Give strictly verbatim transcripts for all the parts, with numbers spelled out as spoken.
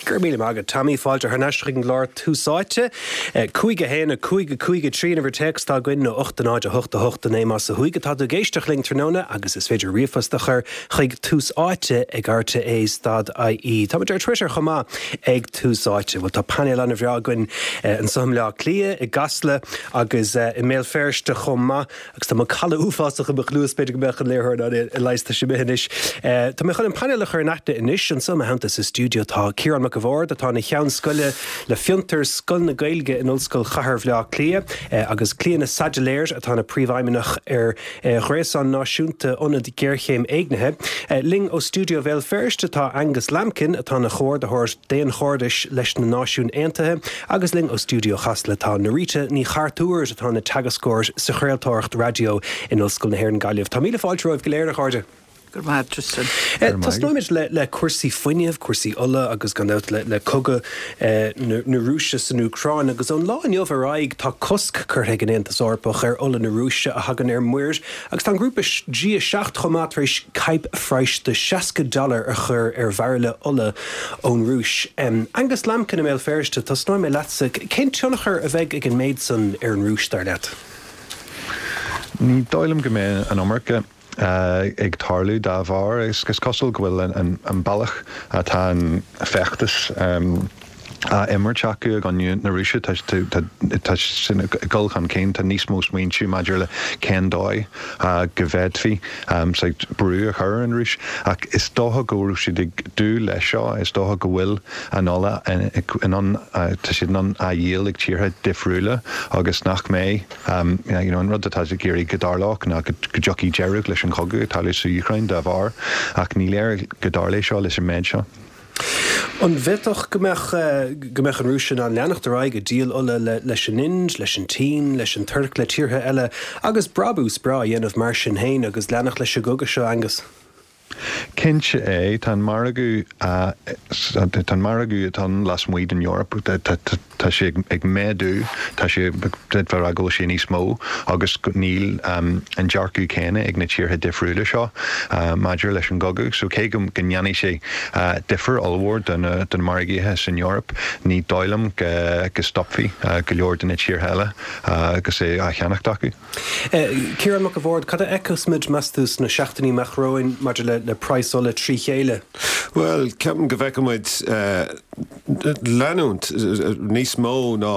Go raibh míle maith agat Tommy fáilte thar n-ais chuig an gclár Tús Áite. Cúig a haon a cúig a cúig a trí an uimhir téacs atá againn nó ocht a náid a hocht a hocht a naoi más ó thuaidh atá tú ag éisteacht linn tráthnóna agus is féidir ríomhphost a chur chuig tús áite ag rte dot ie. Táimid ar Twitter chomh maith ag Tús Áite. Bhuel tá painéal an-bhreá againn anseo i mBleá Cliath, i gCasla agus i mBéal Feirste chomh maith agus tá macalla uafásach i mo chluas b'fhéidir go mbeadh an léiritheoir in ann é a leigheas tá sé imithe anois. Tá mé chun an painéal a chur in aithne anois anseo i mo theannta sa stiúideo tá Ciarán Mac a' Bhaird atá ina cheann scoile le Fiontar Scoil na Gaeilge in Ollscoil Chathair Bhaile Átha Cliath agus Clíona Saidléar atá ina príomhfheidhmeannach ar Ghréasán Náisiúnta Ionad Géarchéim Éignithe. Linn ó stiúideo Bhéal Feirste tá Angus Lambkin atá ina chomhordaitheoir daonchairdis leis na Náisiúin Aontaithe agus linn ó stiúideo Chasla tá Norita Ní Chartúir atá ina teagascóir sa chraoltóireacht raidió in Ollscoil na hÉireann Gaillimh. Tá míle fáilte romhaibh go léir a chairde. Go raibh maith Tristan. Tosnóimid le le cúrsaí fuinnimh, cúrsaí ola agus gan dabht le le cogadh na na Rúise san Úcráin agus ón lá inniu ar aghaidh tá cosc curtha ag an Aontas Eorpach ar ola na Rúise a thagann ar muir agus tá an grúpa G a seacht chomh maith tar éis caidhp phraghais de seasca dollar a chur ar bhairille ola ón Rúis. Angus Lambkin i mBéal Feirste, tosnóidh mé leatsa, cén tionchar a bheidh ag an méid san ar an Rúis dar leat? Ní dóigh liom go mbeidh an iomarca ag tarlú dá bharr. Is cosúil go bhfuil an bealach atá an feachtas á imirt acu i gcoinne na Rúise, tá sin ag dul chun cinn, tá níos mó smaointe maidir le cén dóigh go bhféadfaí brú a chur ar an Rúis. Ach is dócha go raibh siad ag dúil leis seo, is dócha go bhfuil an ola in ann, tá siad in ann á dhíol ag tíortha difriúla agus nach mbeidh You know, an rud atá ag iarraidh go dtarlódh ná go dtiocfaidh deireadh leis an chogadh atá sa Úcráin dá bharr, ach ní léir go dtarlóidh seo leis an méid seo. An bhféadfadh go mbeadh go mbeadh an Rúis in ann leanacht ar aghaidh ag díol ola le leis an Ind, leis an tSín, leis an Tuirc, le tíortha eile agus brabús breá a dhéanamh mar sin féin agus leanacht leis an gcogadh seo, Angus? Cinnte é, tá an margadh, tá an margadh atá ann lasmuigh den Eoraip, tá sé ag méadú, tá sé, d'fhéadfá a rá go bhfuil sé níos mó agus níl an dearcadh céanna ag na tíortha difriúla seo maidir leis an gcogadh. So cé go ndéanfaidh sé difear ollmhór do na margaithe san Eoraip, ní dóigh liom go stopfaidh go leor de na tíortha eile agus é á cheannacht acu. Ciarán Mac a' Bhaird, cad a fheicfeas muid, meas tú, sna seachtainí amach romhainn maidir le le praghas ola trí chéile? Bhuel, ceapaim go bhfeicfidh muid leanúint níos mó ná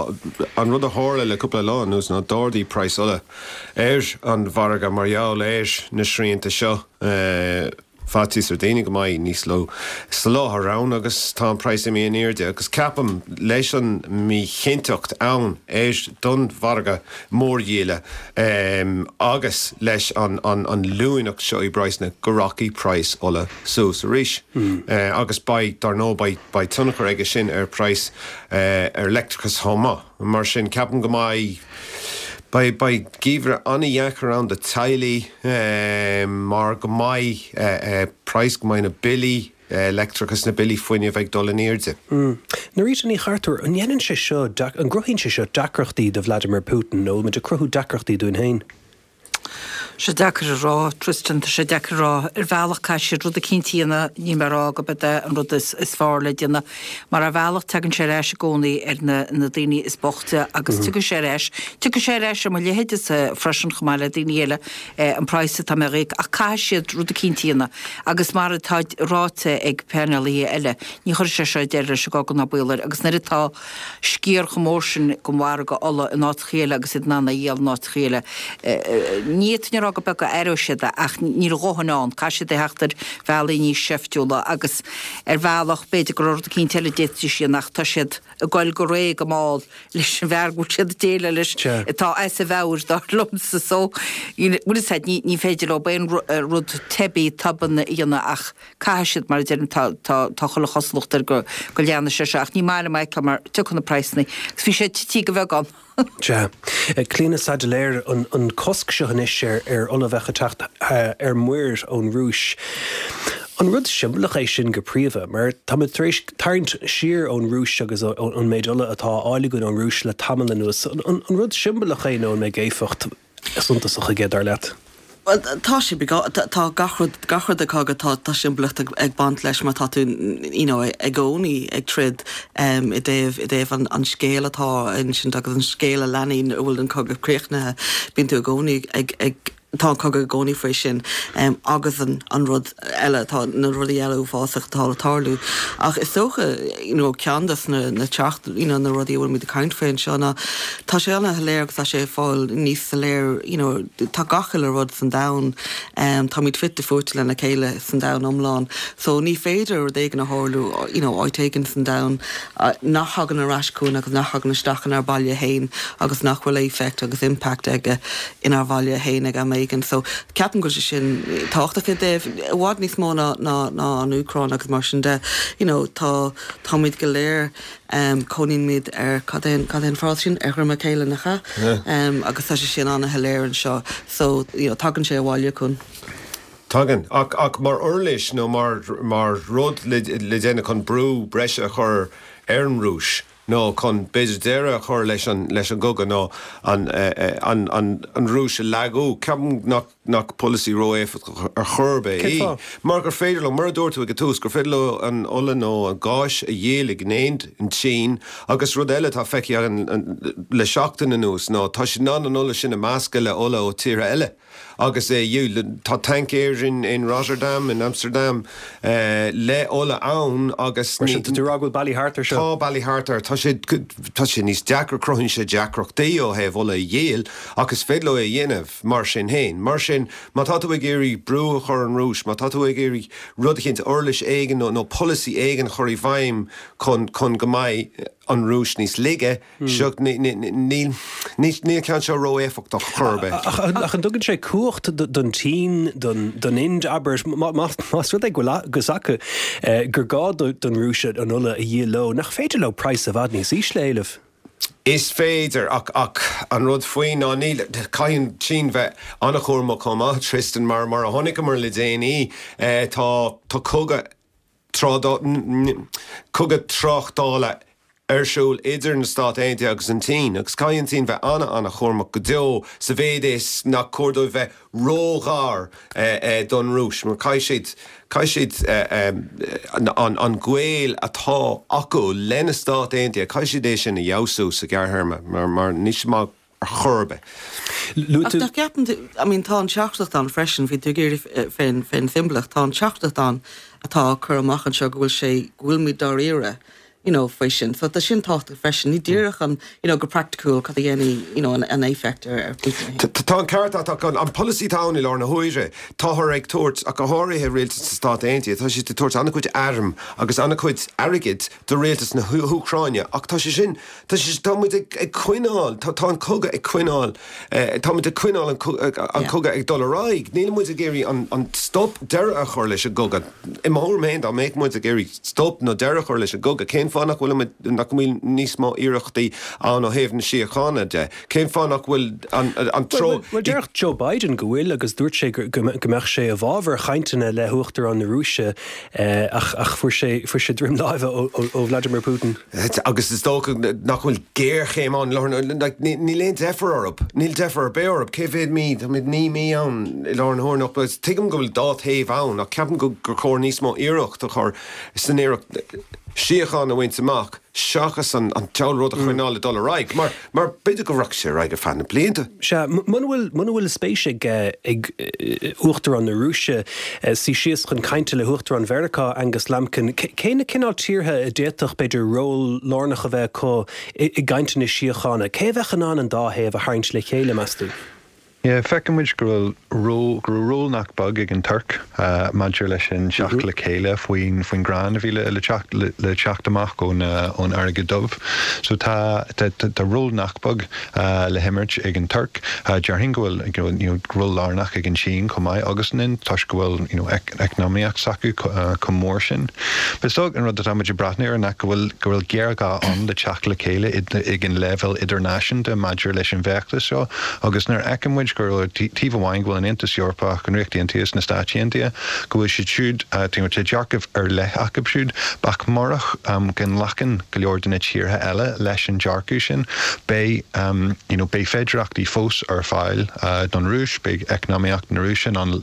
an rud a tharla le cúpla lá anuas ná d'ardaigh praghas ola ar an mhargadh mar gheall ar na srianta seo. Faitíos ar daoine go mbeidh níos lú soláthar ann agus tá an praghas imithe in airde agus ceapaim leis an míchinnteacht ann ar don mhargadh mórdhíola agus leis an an luaineacht seo i bpraghsanna go rachaidh praghas ola suas arís agus beidh, dar ndóigh, beidh beidh tionchar aige sin ar praghas ar leictreachas chomh maith. Mar sin ceapaim go mbeidh. Beidh beidh geimhreadh an-dheacair ann do teaghlaigh mar go mbeidh praghas, go mbeidh na billí leictreachais, na billí fuinnimh ag dul in airde. Norita Ní Chartúir, an ndéanann sé seo, an gcruthaíonn sé seo deacrachtaí do Vladimir Putin nó bhfuil muid ag cruthú deacrachtaí dúinn féin? sé deacair a rá, Tristan, tá sé deacair a rá. Ar bhealach caithfidh siad rud eicínt a dhéanamh, níl mé ag rá gurb é an rud is is fearr le déanamh, mar ar bhealach tagann sé ar ais i gcónaí ar na na daoine is boichte agus tiocfaidh sé ar ais, tiocfaidh sé ar ais ar mo leithéidese freisin chomh maith le daoine eile, an praghas atá mé a íoc ach caithfidh siad rud eicínt a dhéanamh agus mar atá ráite ag painéalaithe eile, ní chuirfidh sé seo deireadh leis an gcogadh ná baol air agus nuair atá sciar chomh mór sin den mhargadh ola in áiteacha eile agus iad in ann é a dhíol in áiteacha eile. Ní fhéadfainn a rá go beag go aireoidh siad é ach níl a dhóthain ann, caithfidh siad a theacht ar bhealaí níos seiftiúla agus ar bhealach b'fhéidir go raibh rud eicínt eile a d'fhéadfaidís a dhéanamh ach tá siad ag goil go réidh go mall leis an bhfear go bhfuil siad ag déileáil leis atá as a mheabhair dar liomsa so bhfuil fhios a'd ní ní féidir leo aon rud teibí tobann a dhéanamh ach caithfidh siad mar a deirim tá tá tá chuile chosúlacht air go go leanfaidh sé seo ach ní maith liom é a fheiceáil mar tiocfaidh na praghsanna agus bhí sé tití go bheagán. Sea. Clíona Saidléar, an an cosc seo anois ar ar ola a bheadh ag teacht ar muir ón Rúis, an rud siombalach é sin go príomha? Mar táimid tar éis tarraingt siar ón Rúis agus ón méid ola atá á fháil againn ón Rúis le tamall anuas. An rud siombalach é nó an mbeidh éifeacht suntasach aige, dar leat? Well, tá sé tá gach rud gach rud cogadh tá tá simbolaíocht ag, ag baint leis mar tá tú you know, i gcónaí ag troid um, i dtaobh i dtaobh an, an scéal atá ansin agus an scéal a leanann a bhfuil an cogadh críochnaithe bíonn tú i gcónaí ag, ag tá cogadh i gcónaí faoi sin um, agus an, an rud eile tá na rudaí eile uafásach atá le tarlú. Ach is dócha you know, ceann de na, na teacht you know, na rudaí bhfuil muid ag caint faoi seo ná tá sé an-soiléir agus tá sé fáil níos soiléir you know, tá gach uile rud san domhan um, Táimid fite fuaite lena chéile san domhan iomlán. So ní féidir rud éigin a tharlú you know, áit éigin san domhan uh, nach thagann ar ais chugainn agus nach thagann isteach inár baile féin agus nach bhfuil effect agus impact aige inár bhaile féin ag am éigin. So ceapaim go sé sin tábhachtach i dtaobh i bhfad níos mó ná ná ná an Úcráin agus mar sin de you know, tá táimid go léir um, cónaímid ar cad é cad é an frása sin ar dhroim a chéile nach ea um, agus tá sé sin an-shoiléir anseo so you know, tagann sé abhaile chugainn. Tagann ach ach mar uirlis nó mar mar rud le le déanamh chun brú breise a chur ar an Rúis nó chun b'fhéidir deireadh a chur leis an leis an gcogadh nó an an an an Rúis a lagú ceapaim nach nach polasaí ró-éifeachtach ar chor ar bith é. Mar gur féidir leo mar a dúirt tú ag tús gur féidir leo an ola nó an gás a dhíol ag an Ind an tSín agus rud eile tá feicthe le seachtain anuas nó tá sé ná an ola sin a mheascadh le ola ó tíortha eile. agus é tá tancaeir in, in Rotterdam in Amsterdam uh, le ola ann agus tú rá go bhfuil bealaí thart air seo. Tá bealaí thart air tá sé tá sé níos deacra cruthaíonn sé deacrachtaí ó thaobh ola a dhíol agus féidir leo é dhéanamh mar sin féin. Mar sin má tá tú ag iarraidh brú a chur an Rúis, má tá tú ag iarraidh rud éicint uirlis éigin nó, nó polasaí éigin chur i bhfeidhm chun chun go mbeidh an Rúis níos laige seo níl níl ceann seo ró-éifeachtach chor ar bith. Ach an dtugann sé cumhacht don tSín don Ind abair más rud é go bhfuil acu gur gá don Rúis an ola a dhíol leo, nach féidir leo praghas i bhfad níos ísle a éileamh. Is féidir ach ach an rud faoi ná níl caithfidh an tSín bheith an-chúramach chomh maith Tristan mar mar a chonaiceamar le déanaí tá tá cogadh cogadh tráchtála ar siúl idir na Stáit Aontaithe agus an tSín, agus caithfidh an tSín bheith an-an-chúramach go deo sa mhéid is nach cóir dóibh bheith róghar don Rúis, mar caithfidh siad caithfidh siad an an gaol atá acu le na Stáit Aontaithe, caithfidh siad é sin a fheabhsú sa ghearrthéarma mar mar níl sé maith ar chor ar bith. Ach ceapann I mean tá an teachtaireacht ann freisin bhí tú ag iarraidh fén fén tsimbolaíocht tá an teachtaireacht ann atá cur amach anseo go bhfuil sé go bhfuil muid dáiríre you know, faoi sin. So tá sin tábhachtach freisin ní díreach an you know, go praiticiúil cad a dhéanfaidh you know, an, an éifeacht ar ar Putin. Tá an ceart agat an polasaí atá ann i lár na huaire táthar ag tabhairt ach go háirithe rialtas na Stát Aontaithe tá siad ag tabhairt an-chuid arm agus an-chuid airgid do rialtas na hÚcráine ach tá sé sin tá sé tá muid ag ag coinneáil tá tá an cogadh ag coinneáil tá muid ag coinneáil an an cogadh ag dul ar aghaidh. Níl muid ag iarraidh an an stop deireadh a chur leis an gcogadh. I mo thuairim féin dá mbeadh muid ag iarraidh stop nó deireadh a chur leis an gcogadh cén fáth nach bhfuil muid nach bhfuil níos mó iarrachtaí ann ó thaobh na síochána de. Cén fáth nach bhfuil an an treo Well deir Joe Biden go bhfuil agus dúirt sé go go mbeadh sé i bhfabhar chainteanna le huachtarán na Rúise ach ach fuair sé fuair sé droim láimhe ó ó Vladimir Putin. Agus is dócha nach bhfuil géarchéim ann níl aon deifir orthu, níl deifir ar bith orthu, cé mhéad mí tá muid naoi mí ann i lár na huaire nach tuigim go bhfuil dá thaobh ann ach ceapaim go gur chóir níos mó iarracht a chur san iarracht síocháin a bhaint amach seachas an an t-aon rud a choinneáil ag dul ar aghaidh mar mar b'fhéidir go rachaidh sé ar aghaidh ar feadh na blianta. Sea, muna bhfuil muna bhfuil spéis ag ag Uachtarán na Rúise suí síos chun cainte le hUachtarán Mheiriceá Angus Lampkin, cé na cineál tíortha a d'fhéadfadh b'fhéidir ról lárnach a bheith acu i i gcainteanna síochána, cé a bheadh in ann an dá thaobh a tharraingt le chéile meas tú? Yeah, feiceann muid go bhfuil ról go raibh ról nach beag ag an Tuirc uh, maidir leis an teacht le chéile faoin faoin gcrann a bhí le le teacht le, le teacht amach ón uh, ón Fharraige Dubh. So tá tá, tá, tá ról nach beag uh, le himirt ag an Tuirc. Uh, Déarfainn go bhfuil you know, ról lárnach ag an Sín chomh maith agus an Ind toisc go bhfuil you know, ec eacnamaíocht s'acu uh, chomh mór sin. Bes an rud atá muid ag breathnú air ná go bhfuil go bhfuil géarghá ann le teacht le chéile ag an leibhéal idirnáisiúnta maidir leis an bhfeachtas seo agus nuair a fheiceann muid muid gur taobh amháin go bhfuil an Aontas Eorpach, an Ríocht Aontaithe, na Stáit Aontaithe, go bhfuil siad siúd, tá dearcadh ar leith acu siúd, ach murach go nglacann go leor de na tíortha eile leis an dearcadh sin, beidh you know beidh féidearthachtaí fós ar fáil don Rúis, beidh eacnamaíocht na Rúise in ann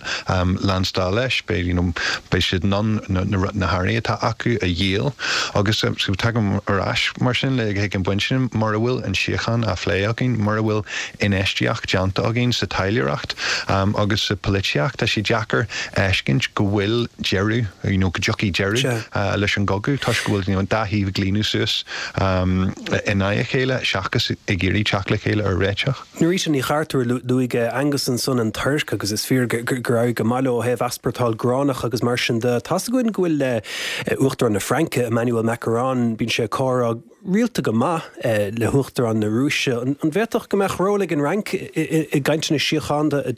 leanstáil leis, beidh you know beidh siad in ann na hearraí atá acu a dhíol agus so tagaim ar ais mar sin le chuig an bpointe sin, mura bhfuil an síocháin á phlé againn, mura bhfuil infheistíocht déanta againn sa taidhleoireacht agus sa pholaitíocht, tá sé deacair fheiscint go bhfuil deireadh, you know go dtiocfaidh deireadh leis an gcogadh toisc go bhfuil you know an dá thaobh ag líonadh suas in aghaidh a chéile seachas ag iarraidh teacht le chéile ar réiteach. Norita Ní Chartúir, luaigh Angus ansan an Tuirc agus is fíor gur éirigh go maith leo ó thaobh easpórtáil gránach agus mar sin de. Tá's againn go bhfuil Uachtarán na Fraince, Emmanuel Macron, bíonn sé ag comhrá rialta go maith le hUachtarán na Rúise. An bhféadfadh go mbeadh ról ag an Fhrainc i gcainteanna síochána a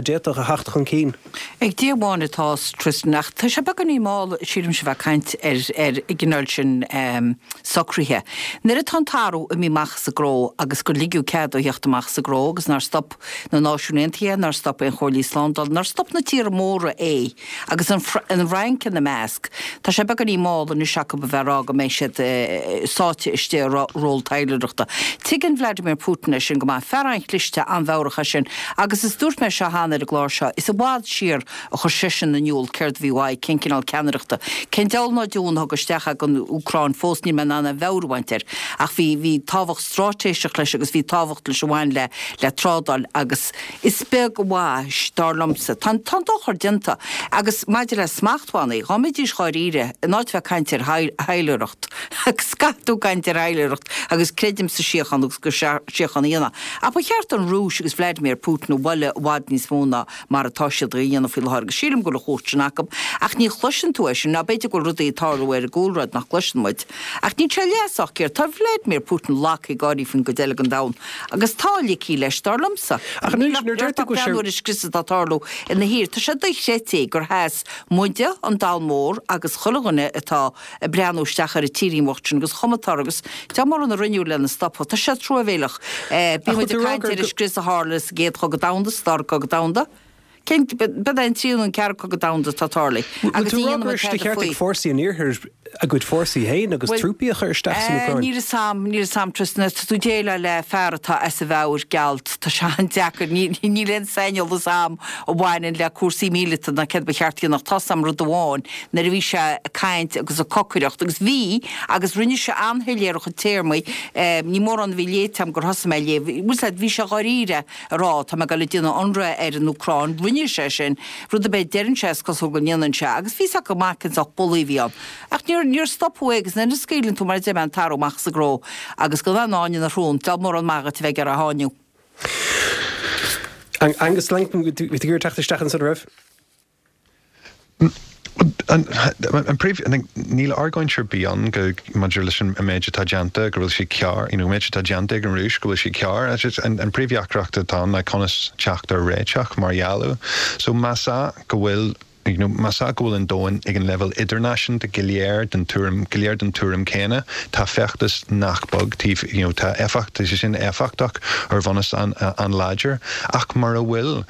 d'fhéadfadh a theacht chun cinn? Ag Dia amháin atá fhios, Tristan, ach tá sé beagáinín mall, sílimse, a bheith ag caint ar an gcineál sin socruithe. Nuair atá an tarbh imithe amach as an gcró agus gur ligeadh cead dó theacht amach as an gcró agus nár stop na Náisiúin Aontaithe, nár stop aon Chomhairlí Slándála, nár stop na tíortha móra é, agus an Fhrainc ina measc, tá sé beagáinín mall anois acu a bheith ag rá go mbeidh siad sáite istigh i ról taidhleoireachta. Tuigeann Vladimir Putin é sin go maith. Fear an-chliste, an-mheabhrach é sin. Agus is dúirt mé seo cheana ar an gclár seo, is i bhfad siar a chuir seisean in iúl céard a bhí uaidh, cén cineál ceannaireachta, cén deabhal ná deamhan a thug isteach é don Úcráin fós, níl mé in ann aon mheabhair a bhaint air. Ach bhí, bhí tábhacht straitéiseach leis agus bhí tábhacht leis a bhain le, le trádáil agus is beag a mhaith, dar liomsa. Tá an, tá an dochar déanta. Agus maidir le smachtbhannaí, dhá mbeidís dháiríre, in áit bheith ag caint ar thaidhleoireacht, agus caithfidh tú caint ar thaidhleoireacht agus creidim sa síocháin agus go síocháin a dhéanamh. Ach ba cheart don Rúis agus Vladimir Putin a bhualadh i bhfad níos mó ná mar atá siad a dhéanamh faoi láthair agus sílim go bhfuil an chumhacht sin acu. Ach ní chloiseann tú é sin, ná b'fhéidir go bhfuil rudaí ag tarlú ar an gcúlráid nach gcloiseann muid. Ach níl sé leath sách géar. Tá Vladimir Putin lagtha ag gáirí faoin gcuid eile den domhan agus tá ligthe leis, dar liomsa. Ach Níl ach breathnú ar an scrios atá ag tarlú ina thír. Tá sé dochreidte gur sheas muide, an domhan mór, agus chuile dhuine atá ag breathnú isteach ar an tírín bhocht sin agus chuma atá air agus tá mórán a rinneadh lena stopadh. Tá sé truamhéileach. Bíonn muid ag caint ar an scrios a tharla sa gcéad chogadh domhanda, sa dara cogadh domhanda. Cén, b'é an tríú nó an ceathrú cogadh domhanda atá tarlaithe agus ní dhéanann muid Bhfuil tú ag rá go raibh sé de tada cheart ag faoi. fórsaí an Iarthair a gcuid fórsaí féin agus Bhuel, trúpaí a chur isteach san Úcráin? Níl fhios a'm, níl fhios a'm Tristan, tá tú ag déileáil le fear atá as a mheabhair gealt, tá sé an-deacair, níl aon saineolas a'm a bhaineann le cúrsaí míleata ná céard ba cheart a dhéanamh, tá's a'm rud amháin, nuair a bhí sé ag caint agus ag cocaireacht, agus bhí, agus rinne sé an-shoiléir a chuid téarmaí, ní mórán a bhí léite a'm gur thosaigh mé a léamh, bhfuil 's a'd, bhí sé dháiríre ag rá, tá mé ag dul ag déanamh ionradh ar an Úcráin, rinne sé sin, rud ar bith a deireann sé is cosúil go ndéanann sé, agus bhí 's acu go maith cén sórt bulaí a bhí ann. Ach níor, níor stopadh é agus nuair a scaoileann tú, mar a deir mé, an tarbh amach as an gcró agus gan aon fháinne ina shrón, diabhal mórán maith dhuit a bheith ag iarraidh a sháinniú. Angus Langton, bhí tú ag iarraidh teacht isteach ansan, an raibh? An, an príomh, níl argóint ar bith ann go, maidir leis an méid atá déanta, go bhfuil sé cearr, you know, an méid atá déanta ag an Rúis, go bhfuil sé cearr. An, an príomhdheacracht atá ann ná conas teacht ar réiteach mar gheall air. So más ea go bhfuil you know, más ea go bhfuil an domhan ag an leibhéal idirnáisiúnta go léir den tuairim, go léir den tuairim céanna, tá feachtas nach beag taobh, you know, tá éifeacht, tá sé sin éifeachtach ar bhunús an-láidir. Ach mura bhfuil,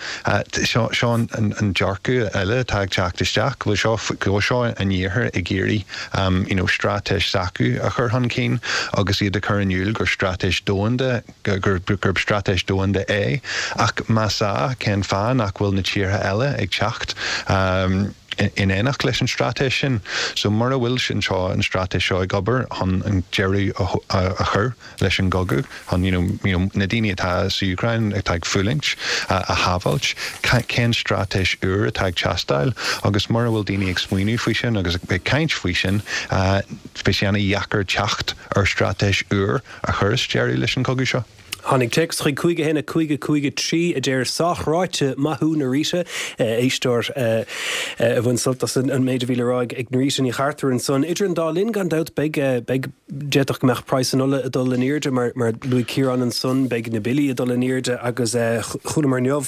seo, seo an, an, an dearcadh eile atá ag teacht isteach, go bhfuil seo, go bhfuil seo an Iarthar ag iarraidh, um, you know, straitéis s'acu a chur chun cinn agus iad ag cur in iúl gur straitéis domhanda, gur, gurb straitéis domhanda é. Ach más ea, cén fáth nach bhfuil na tíortha eile ag teacht, um, in éineacht leis an straitéis sin. So mura bhfuil sin seo an straitéis seo ag obair chun an deireadh a chur leis an gcogadh, chun you know, you know, na daoine atá sa Úcráin atá ag fulaingt a shábháilt, cén straitéis úr atá ag teastáil agus mura bhfuil daoine ag smaoineamh faoi sin agus ag caint faoi sin, beidh sé an-dheacair teacht ar straitéis úr a chuirfeas deireadh leis an gcogadh seo. Tháinig téacs chuig cúig a haon a cúig a cúig a trí a deir Sách ráite, maith thú Norita, éisteoir a bhain sult as an méid a bhí le rá ag Norita Ní Chartúir ansan. Idir an dá linn, gan dabht, beidh, beidh, d'fhéadfadh go mbeadh praghas an ola ag dul in airde mar, mar luaigh Ciarán ansan, beidh na billí ag dul in airde agus chualamar inniu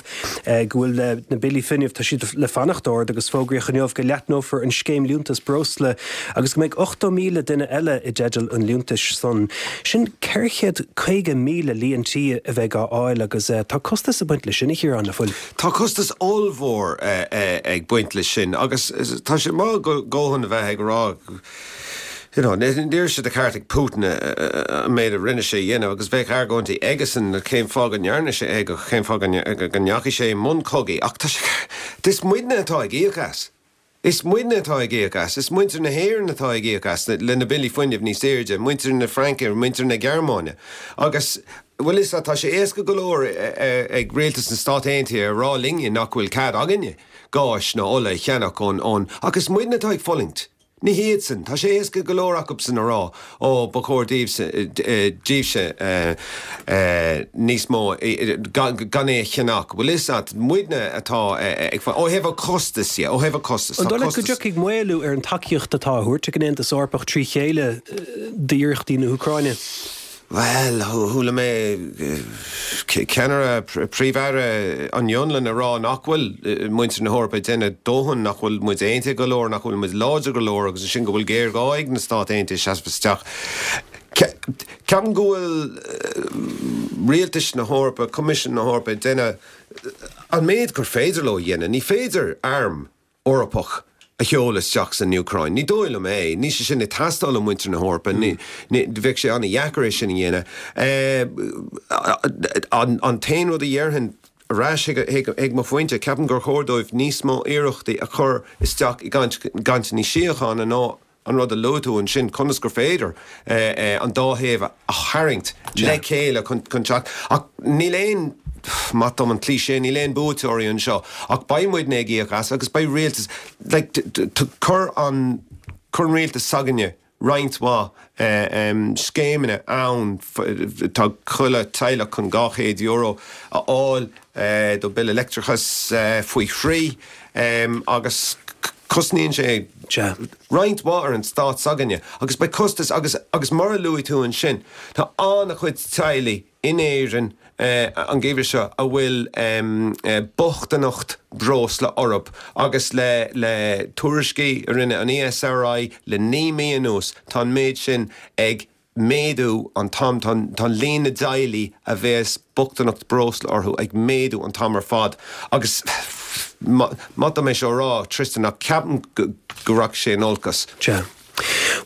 go bhfuil na billí fuinnimh, tá siad le fanacht ard agus fógraíodh inniu go leathnófar an scéim liúntas breosla agus go mbeidh ochtó míle duine eile i dteideal an liúntais san. Sin ceithre chéad caoga míle líon an tí a bheidh á fháil agus tá costas ag baint leis sin, a Chiaráin, nach bhfuil? Tá costas ollmhór ag baint leis sin agus tá sé maith go dóthain a bheith ag rá you know, ní raibh sé de cheart ag Putin an méid a rinne sé a dhéanamh agus bheadh argóintí aigesan cén fáth go ndearna sé é cén fáth go ndeachaigh sé i mbun cogaidh ach tá sé is muidne atá ag íoc as. Is muidne atá ag íoc as, is muintir na hÉireann atá ag íoc as le na billí fuinnimh níos airde, muintir na Fraince, muintir na Gearmáine. Agus bhfuil a fhios agat tá sé éasca go leor ag rialtas na Stát Aontaithe a rá linne nach bhfuil cead againne gás ná ola a cheannach ón ón ach is muidne atá ag fulaingt. Ní hiadsan, tá sé éasca go leor acubsan a rá ó ba chóir daoibhse daoibhse níos mó gan é a cheannach. Bhfuil a fhios agat muidne atá ag ó thaobh an costas dhe, ó thaobh an costas. An dóigh leat go dtiocfaidh maolú ar an tacaíocht atá á thabhairt ag an Aontas Eorpach trí chéile d'iarrachtaí na hÚcráine? Bhuel, chuala mé ceannaire, Príomh-Aire an Fhionlainn ag rá nach bhfuil muintir na hEorpa ag déanamh dóthain, nach bhfuil muid aontaithe go leor, nach bhfuil muid láidir go leor agus ansin go bhfuil géarghá ag na Stáit Aontaithe seasamh isteach. Ceapaim go bhfuil rialtais na hEorpa, Coimisiún na hEorpa ag déanamh an méid gur féidir leo a dhéanamh. Ní féidir arm Eorpach a sheoladh isteach san Úcráin. Ní dóigh liom é. Níl sé sin ag teastáil ó mhuintir na hEorpa. Bheadh sé an-dheacair é sin a dhéanamh. An t-aon rud a dhéarfainn, ar ais chuig mo phointe, ceapaim gur chóir dóibh níos mó iarrachtaí a chur isteach i gcainteanna síochána ná an rud a luaigh tú ansin, conas gur féidir an dá thaobh a tharraingt le chéile chun teacht. Ach níl aon, maith dom an cliché, níl aon buaiteoirí anseo, ach beidh muidne ag íoc as agus beidh rialtas, like, chuir an, chuir an rialtas s'againne roinnt mhaith scéimeanna ann, tá chuile teaghlach chun dhá chéad euro a fháil do bille leictreachais faoi thrí agus cosnaíonn sé roinnt mhaith ar an stát s'againne agus beidh costas agus agus mar a luaigh tú ansin tá an-chuid teaghlaigh in Éirinn an geimhreadh seo a bhfuil bochtaineacht breosla orthu agus le le tuairiscí a rinne an ESRI le naoi mí anuas tá an méid sin ag méadú an t-am, tá líon na dteaghlaigh a bheas bochtaineacht breosla orthu ag méadú an t-am ar fad agus maith dom é seo a rá, Tristan, ach ceapaim go rachaidh sé in olcas. Sea.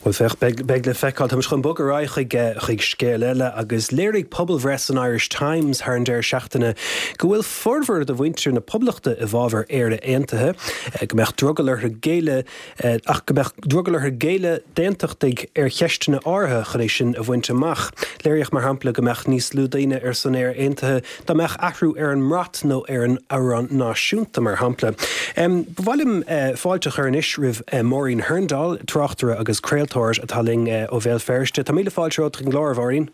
Bhuel, féach, beidh le feiceáil. Táimid chun bogadh ar aghaidh chuig, chuig scéal eile agus léirigh pobalbhreith san Irish Times thar an deireadh seachtaine go bhfuil formhór de mhuintir na Poblachta i bhfabhar Éire Aontaithe, go mbeadh drogall orthu géilleadh ach go mbeadh drogall orthu géilleadh d'aontachtaigh ar cheisteanna áirithe chun é sin a bhaint amach. Léiríodh, mar shampla, go mbeadh níos lú daoine ar son Éire Aontaithe dá mbeadh athrú ar an mbrat nó ar an amhrán náisiúnta, mar shampla. Ba mhaith liom fáilte a chur anois roimh Máirín Hurndall, tráchtaire agus craoltóir atá linn ó Bhéal Feirste. Tá míle fáilte romhat chuig an gclár, a Mháirín.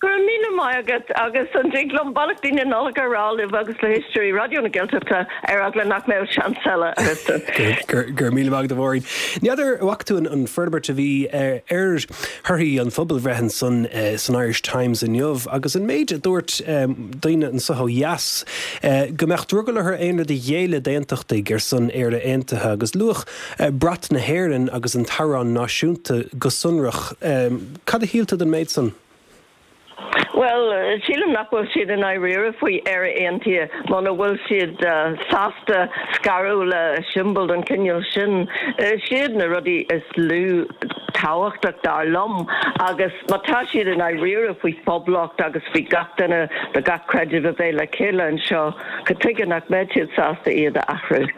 Go raibh míle maith agat agus an dtig liom beannachtaí na Nollag a rá libh agus le héisteoirí Raidió na Gaeltachta ar eagla nach mbeadh seans eile agat. Go raibh míle maith agat a Mháirín. N'fheadar an bhfaca tú an forbairt a bhí ar thorthaí an phobalbhreith ansan san Irish Times inniu agus an méid a dúirt daoine anso ó dheas go mbeadh drogall orthu aon rud a ghéilleadh d'aontachtaigh ar son Éire Aontaithe agus luadh brat na hÉireann agus an t-amhrán náisiúnta go sonrach. Cad a shíl tú den méid san? Bhuel, sílim nach bhfuil siad i ndáiríre faoi Éire Aontaithe muna bhfuil siad sásta scaradh le siombail den chineál sin. Siad na rudaí is lú tábhachtach dar liom agus má tá siad i ndáiríre faoi phoblacht agus faoi gach duine de gach creideamh a bheith le chéile anseo, cad tuige nach mbeadh siad sásta iad a athrú?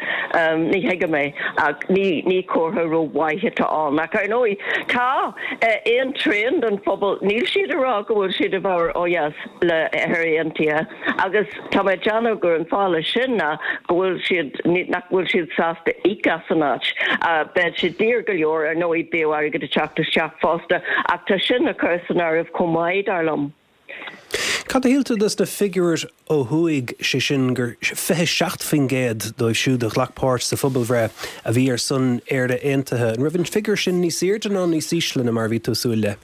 Ní thuigim é ach ní comhartha rómhaith atá ann. Ach ar ndóigh tá aon trian den phobal, níl siad ag rá go bhfuil siad i bhfabhar ó dheas le Éire Aontaithe agus tá mé ag déanamh gur an fáth leis sin ná go bhfuil siad, nach bhfuil siad sásta íoc as an áit. Beidh sé daor go leor, ar ndóigh, bíodh airgead ag teacht isteach fosta ach tá sin le cur san áireamh chomh maith, dar liom. Cad a shíl tú dos na figiúir ó thuaidh, sé sin gur fiche seacht faoin gcéad dóibh siúd a ghlac páirt sa phobalbhreith a bhí ar son Éire Aontaithe. An raibh an figiúr sin níos airde ná níos ísle ná mar a bhí tú ag súil le?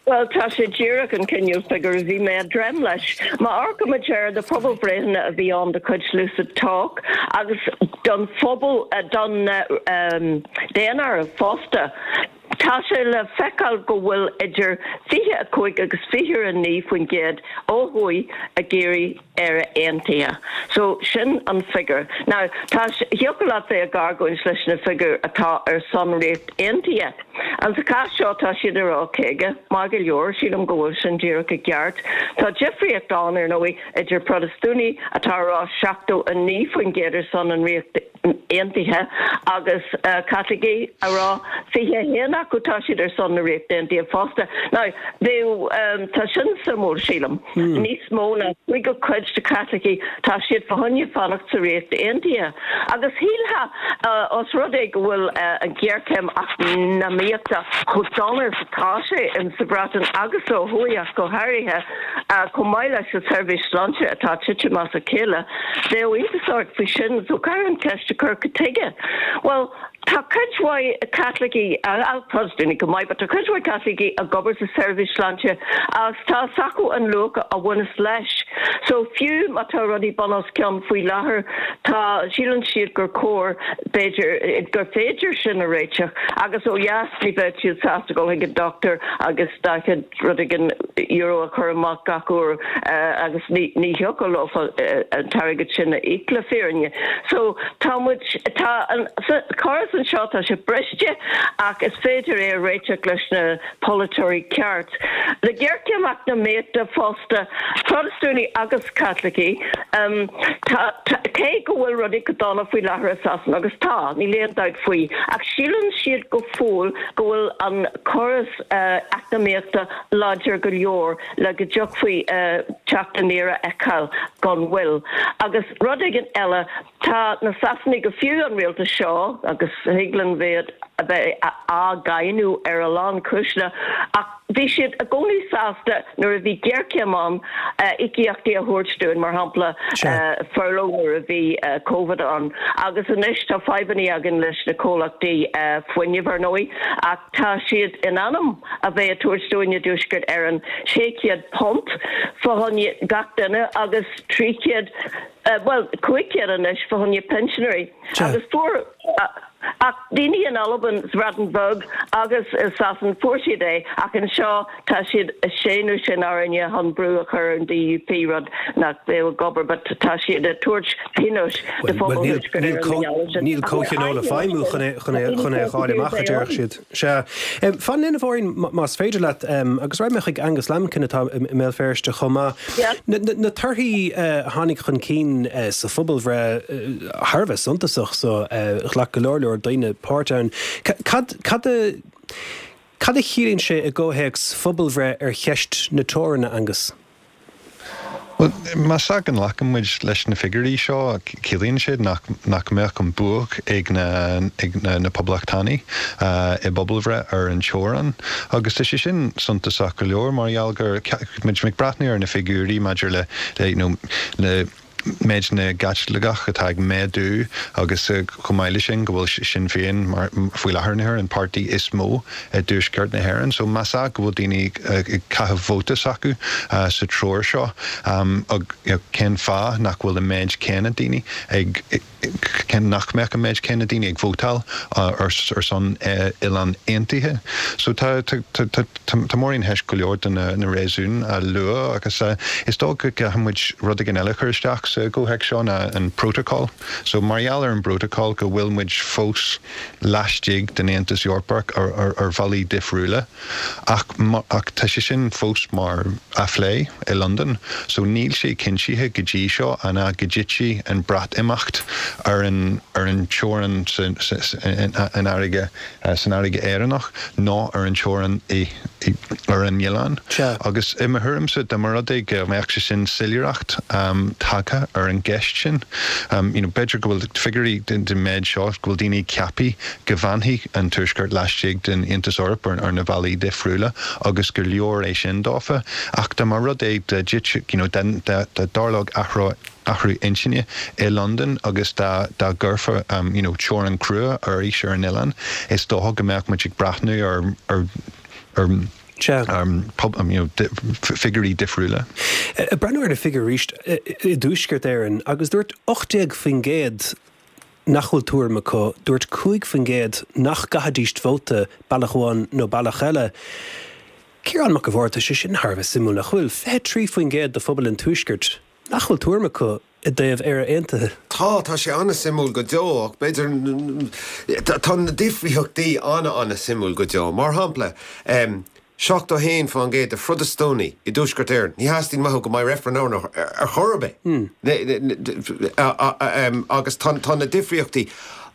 Bhuel, tá sé díreach an cineál figiúr a bhí mé ag dréim leis. Má amharcaimid ar na pobalbhreitheanna a bhí ann de chuid Lucid Talk agus don phobal, don daonáireamh fosta, tá sé le feiceáil go bhfuil idir fiche fiche a cúig agus fiche a naoi faoin gcéad ó thuaidh ag iarraidh Éire Aontaithe. So sin an figiúr. Now tá thiocfadh leat bheith ag argóint leis na figiúir atá ar son Ríocht Aontaithe. An sa chás seo tá siad ag rá caoga, maith go leor, sílim go bhfuil sin díreach i gceart. Tá difríocht ann ar ndóigh idir Protastúnaigh atá ag rá seachtó a naoi faoin gcéad ar son an Ríocht Aontaithe agus Caitlicigh ag rá fiche a haon acu tá siad ar son na Ríochta Aontaithe fosta. Now bheadh tá sin suimiúil sílim. Níos mó ná cúigiú cuid de Chaitlicigh tá siad fá choinne fanacht sa Ríocht Aontaithe. Agus shílfeá os rud é go bhfuil an ghéarchéim eacnamaíochta chomh dona is atá sé in sa Bhreatain agus ó thuaidh ach go háirithe chomh maith leis an tseirbhís sláinte atá ag titim as a chéile, bheadh iontas ort faoi sin. So caithfear an cheist a chur cad tuige? Bhuel, tá cuid mhaith Caitlicigh, Protastúnaigh chomh maith, but tá cuid mhaith Caitlicigh ag obair sa tseirbhís sláinte agus tá fhios acu an luach a bhaineas leis. So fiú má tá rudaí bun os cionn faoi láthair, tá, síleann siad gur cóir, b'fhéidir, gur féidir sin a réiteach agus ó dheas ní bheadh siad sásta dul chuig an dochtúir agus daichead rud éigin euro a chur amach gach uair agus ní ní thiocfadh leo an t-airgead sin a íoc le fírinne. So tá muid, tá an córas anseo, tá sé briste ach is féidir é a réiteach leis na polaiteoirí ceart. Le géarchéim eacnamaíochta fosta, Protastúnaigh agus Caitlicigh, tá, cé go bhfuil rudaí go dona faoi láthair i Sasana, agus tá, níl aon dabht faoi, ach síleann siad go fóill go bhfuil an córas eacnamaíochta láidir go leor le go dtiocfaí teacht aniar a fheiceáil gan mhoill. Agus rud éigin eile, tá na Sasanaigh, go fiú an rialtas seo, agus thig linn bheith a bheith á gcáineadh ar a lán cúiseanna, ach bhí siad i gcónaí sásta nuair a bhí géarchéim ann íocaíochtaí a thabhairt dúinn, mar shampla furlough nuair a bhí Covid ann. Agus anois tá fadhbanna againn leis na comhlachtaí fuinnimh, ar ndóigh, ach tá siad in ainm a bheith ag tabhairt dúinn i dTuaisceart Éireann sé chéad punt fá choinne gach duine agus trí chéad, bhuel, cúig chéad anois fá choinne pinsinéirí. Agus fuair. Ach daoine in Albain, sa Bhreatain Bheag agus i Sasain, fuair siad é, ach anseo tá siad ag séanadh sin orainne chun brú a chur ar an DUP, rud nach bheadh ag obair, but tá siad ag tabhairt pionóis do phobal Thuaisceart Éireann mar gheall air sin. Níl comhthionól ag feidhmiú chun é a fháil amach, a déarfadh siad. Sea. Fan linn, a Mháirín, más féidir leat, agus raghaidh mé chuig Angus Lambkin atá i mBéal Feirste chomh maith. Na torthaí a tháinig chun cinn sa phobalbhreith thar a bheith suntasach so ghlac go leor leor daoine páirt ann. Cad cad a cad a chiallaíonn sé i gcomhthéacs phobalbhreith ar cheist na teorann, a Angus? Bhuel, más ea go nglacann muid leis na figiúirí seo, ciallaíonn siad nach nach mbeadh an bua ag na ag na Poblachtánaigh i bpobalbhreith ar an teorainn. Agus tá sé sin suntasach go leor mar gheall gur muid ag breathnú ar na figiúirí maidir le le you know le méid na gCaitliceach atá ag méadú agus chomh maith leis sin go bhfuil Sinn Féin mar faoi láthair na huaire an páirtí is mó i dTuaisceart na hÉireann. So más ea go bhfuil daoine ag caitheamh vóta s'acu sa treoir seo cén fáth nach bhfuil an méid céanna daoine ag cén nach mbeadh an méid céanna daoine ag vótáil ar son Oileán Aontaithe. So tá tá Máirín théis go leor de na réasúin a lua agus is dóigh go gcaithfidh muid rud éigin eile a chur isteach sa gcomhthéacs seo ná an protocol. So mar gheall ar an bprotocol go bhfuil muid fós laistigh den Aontas Eorpach ar bhealaí difriúla ach ach tá sé sin fós mar á phlé i Londain so níl sé cinntithe go dtí seo an ea go dtitfidh an Breatimeacht ar an ar an teorainn san fharraige san fharraige Éireannach nó ar an teorainn i ar an oileán. Agus i mo thuairimse dá mba rud é go mbeadh sé sin soiléireacht tagtha ar an gceist sin you know b'fhéidir go bhfuil figiúirí den méid seo go bhfuil daoine ag ceapadh go bhfanfaidh an Tuaisceart laistigh den Aontas Eorpach ar na bealaí difriúla agus gur leor é sin dófa ach dá mba rud é dá dtitfeadh you know dá dtarlódh athrú athrú intinne i Londain agus dá dá gcuirfear you know teorainn crua arís ar an oileán is dócha go mbeadh muid ag breathnú ar ar ar you know figiúirí difriúla. Ag breathnú ar na figiúirí arís i dTuaisceart Éireann agus dúirt ocht déag faoin gcéad nach bhfuil tuairim acu, dúirt cúig faoin gcéad nach gcaithfidís vóta bealach amháin nó bealach eile. Ciarán Mac a' Bhaird, tá sé sin thar a bheith suimiúil, nach bhfuil? fiche trí faoin gcéad de phobal an Tuaiscirt nach bhfuil tuairim acu i dtaobh Éire Aontaithe. Tá, tá sé an-suimiúil go deo, ach b'fhéidir, tá na difríochtaí an-an-suimiúil go deo. Mar shampla, seachtó a haon faoin gcéad de Phrotastúnaigh i dTuaisceart Éireann, ní theastaíonn uathu go mbeidh reifreann ann ar chor ar bith. Agus tá na difríochtaí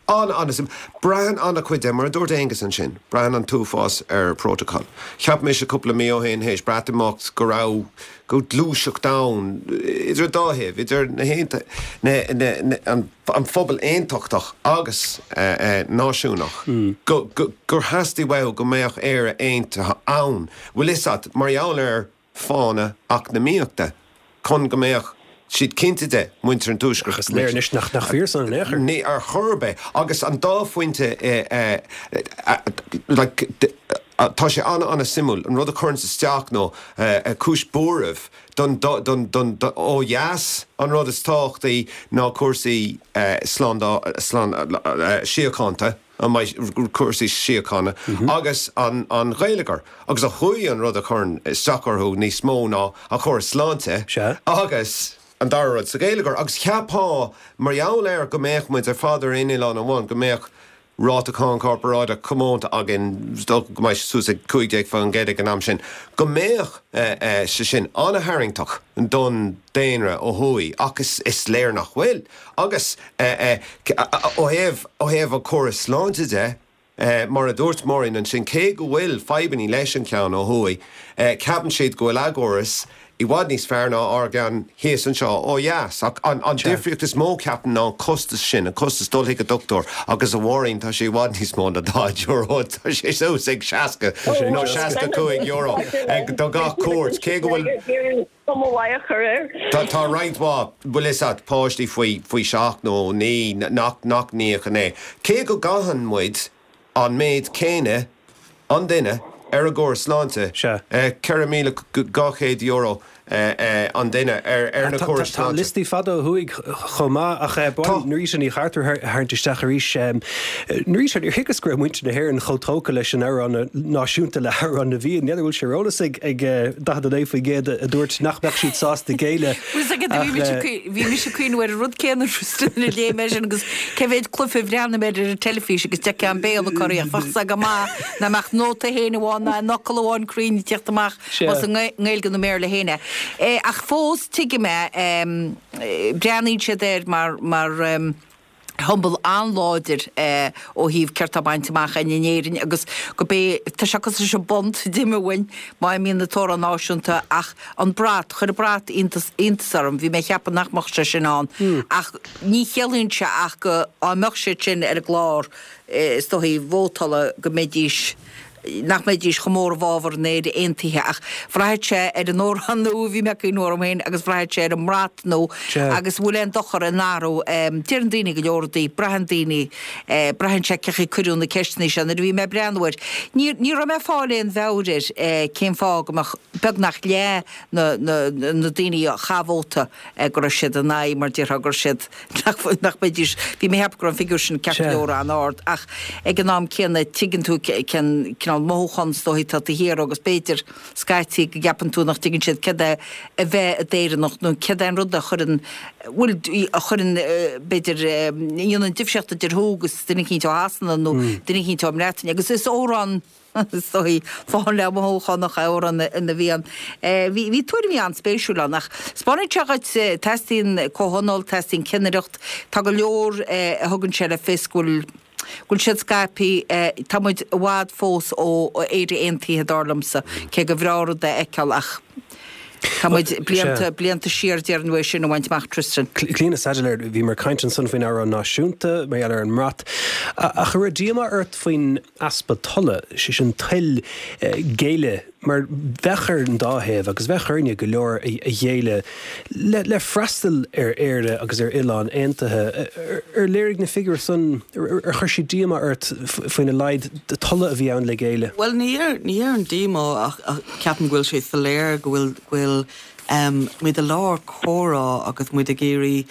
an-an-suimiúil. Braitheann an-chuid de, mar a dúirt Aengus ansin, braitheann an t-uafás ar protocol. Cheap mise cúpla mí ó shin, théis Breatimeacht, go raibh, go raibh gluaiseacht ann idir an dá thaobh, idir na na, na, an phobal aontachtach agus náisiúnach, go, go, gur theastaigh uathu go mbeadh Éire aontaithe ann, bhfuil fhios a't, mar gheall ar fáthanna eacnamaíochta, chun go mbeadh siad cinnte de, muintir an Tuaiscirt. Ach is léir anois nach nach fíor san in aon chor. Ní ar chor ar bith. Agus an dá phointe, like, tá sé an-an-suimiúil, an rud a chuireanns isteach nó cúis buairimh don, don, don, ó dheas, an rud is tábhachtaí ná cúrsaí slándála, síochánta, an mbeidh cúrsaí síochána agus an an gheilleagar. Agus ó thuaidh an rud a chuireann isteach orthu níos mó ná an córas sláinte agus an dara rud sa gheilleagar. Agus cheapfá, mar gheall ar go mbeadh muid ar fad ar aon oileán amháin, go mbeadh ráta cáin corparáideach comónta againn, is dócha go mbeidh sé suas ag cúig déag faoin gcéad ag an am sin, go mbeadh sé sin an-tharraingteach don daonra ó thuaidh, ach is léir nach bhfuil. Agus ó thaobh ó thaobh an córas sláinte de, mar a dúirt Máirín ansin, cé go bhfuil fadhbanna leis an cheann ó thuaidh, ceapann siad go bhfuil a gcóras i bhfad níos fearr ná ár gceann thíos anseo ó dheas. Ach an difríocht is mó, ceapaim, ná an costas sin, an costas dul chuig an dochtúir agus a Mháirín, tá sé i bhfad níos mó ná daichead euro, tá sé suas ag seasca nó seasca cúig euro do gach cuairt, cé go bhfuil. Cuma mhaith a chur air. Tá roinnt mhaith, bhfuil fhios a't, páistí faoi faoi seacht nó naoi nach nach n-íocann é. Cé go gcaitheann muid an méid céanna an duine ar an gcóras sláinte, ceithre míle dhá chéad euro an duine ar na córais sláinte. Tá liostaí fada ó thuaidh chomh maith ach ba mhaith liom Norita Ní Chartúir a tharraingt isteach arís. Norita, níor thuigeas go raibh muintir na hÉireann chomh tógtha leis an amhrán náisiúnta, le hAmhrán na bhFiann. N'fheadar bhfuil sé ar eolas ag daichead a naoi faoin gcéad a dúirt nach mbeadh siad sásta géilleadh. Bhí mise ag cuimhneamh ar an rud céanna nuair a léigh mé sin agus cé mhéad cluiche a bhreathnaigh mé ar an teilifís agus d'fheicfeá an Béarla corraíoch. Bheadh sé go maith nach mbeadh nóta féin amháin ná aon fhocal amháin cruinn ag teacht amach más i nGaeilge nó i mBéarla féin é. Ach fós tuigim é, breathnaíonn siad air mar mar shiombail an-láidir ó thaobh céard tá bainte amach againn in Éirinn agus go bé, tá sé cosúil leis an bpunt d'imeodh uainn má imíonn an t-amhrán náisiúnta ach an brat, chuir an brat iontas iontas orm, bhí mé ag ceapadh nach mbeadh sé sin ann ach ní chiallaíonn sé ach go dá mbeadh siad sin ar an gclár is dóichí vótála go mbeidís nach mbeidís chomh mór i bhfabhar an Éire Aontaithe ach bhraithfeadh sé ar an amhrán nua, bhí mé ag cuimhneamh orm féin, agus bhraithfeadh sé ar an mbrat nua agus bhfuil aon dochar in athrú. Deireann daoine go leor rudaí, braitheann daoine, braitheann sé cén chaoi a cuireadh na ceisteanna seo. Nuair a bhí mé ag breathnú air, ní ní raibh mé ag fáil aon mheabhair air cén fáth go mbeadh beagnach leath na na na daoine a chaith vóta go raibh siad in aghaidh mar déarfá go raibh siad nach mbeidís, bhí mé ag ceapadh go raibh an figiúr sin ceart go leor an-ard ach ag an am céanna tuigeann tú cén cineál mothúchán is dóichí atá taobh thiar agus b'fhéidir scaití go gceapann tú nach dtuigeann siad céard é a bheith i d'Éireannach nó céard é an rud a chuireann, bhuel, a chuireann b'fhéidir, a dhéanann difríocht idir thú agus duine eicínt ó Shasana nó duine eicínt ón mBreatain agus is amhrán Is dóichí lán le mothúchánach é Amhrán na bhFiann. Bhí bhí tuairimí an-spéisiúil ann ach 'spáineann sé dhuit, teastaíonn comhthionól, teastaíonn cinnireacht, tá go leor a thugann sé le fios go bhfuil go bhfuil siad scaipthe, tá muid i bhfad fós ó Éire Aontaithe dar liomsa, cé gur bhreá rud é a fheiceáil ach tá muid blianta blianta siar déarfainn uaidh sin a bhaint amach Tristan. Clíona Saidléar, bhíomar ag caint ansan faoin amhrán náisiúnta, mar gheall ar an mbrat, ach an raibh díomá ort faoin easpa tola, sé sin toil géilleadh, mar bheadh ar an dá thaobh agus bheadh orainne go leor a ghéilleadh le le freastal ar Éire agus ar oileán aontaithe. Ar léirigh na figiúir san, ar chuir siad díomá ort faoina laghad tola a bhí ann le géilleadh? Bhuel ní ní dhéarfainn díomá ach ceapaim go bhfuil sé soiléir go bhfuil go bhfuil muid i lár comhrá agus muid ag iarraidh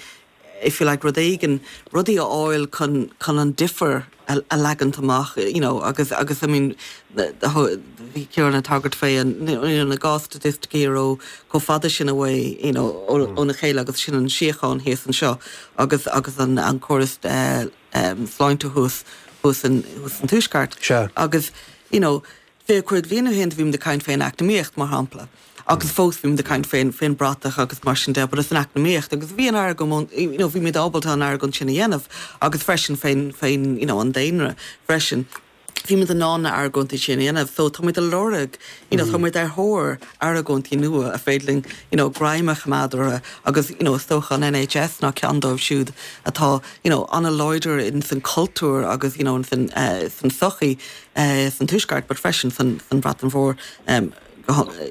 if you like, rud éigin, rudaí a fháil chun, chun an difear a, a leagant amach you know, agus agus I mean bhí Ciarán ag tagairt fé an you know, na dhá staitisticí ó chomh fada sin away you know, óna chéile agus sin an síocháin thíos anseo agus agus an an córas uh, um, sláinte thuas thuas an thuas an tuaisceart agus you know, fiche cúig bliain ó shin bhí muid ag caint fén eacnamaíocht mar shampla. Agus fós bhí muid ag caint fén fén bratach agus mar sin de, but is an eacnamaíocht agus bhí an argóint you know, bhí muid ábalta an argóint sin a dhéanamh agus freisin fén fén you know, an daonra freisin. Bhí muid in ann na argóintí sin a dhéanamh, so tá muid ag lorg you know, tá muid ar thóir argóintí nua a féidir linn you know, greim a choimeád orthu agus you know, is dócha an NHS ná ceann dóibh siúd atá you know, an-láidir in san cultúr agus you know, in san, uh, san sochaí uh, san tuaisceart, but freisin san, san Bhreatain Mhór um,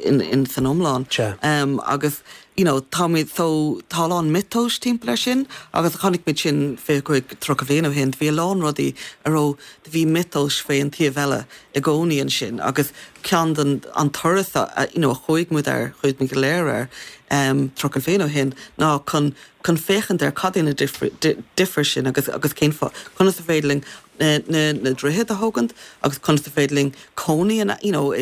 in, in san iomlán. Um, agus you know, tá so tá an miotas timpeall air sin agus chonaic muid sin fiche cúig tríocha bliain ó shin, bhí a lán rudaí a raibh bhí miotas fé an taobh eile i gcónaí ansin agus ceann den an turas a you know, a chuaigh muid ar chuaigh muid go léir air um, tríocha bliain ó shin ná chun chun féachaint ar cad é na difir sin agus agus cén fáth conas is féidir linn na, na, na droichid a thógaint agus conas is féidir linn cónaí you know,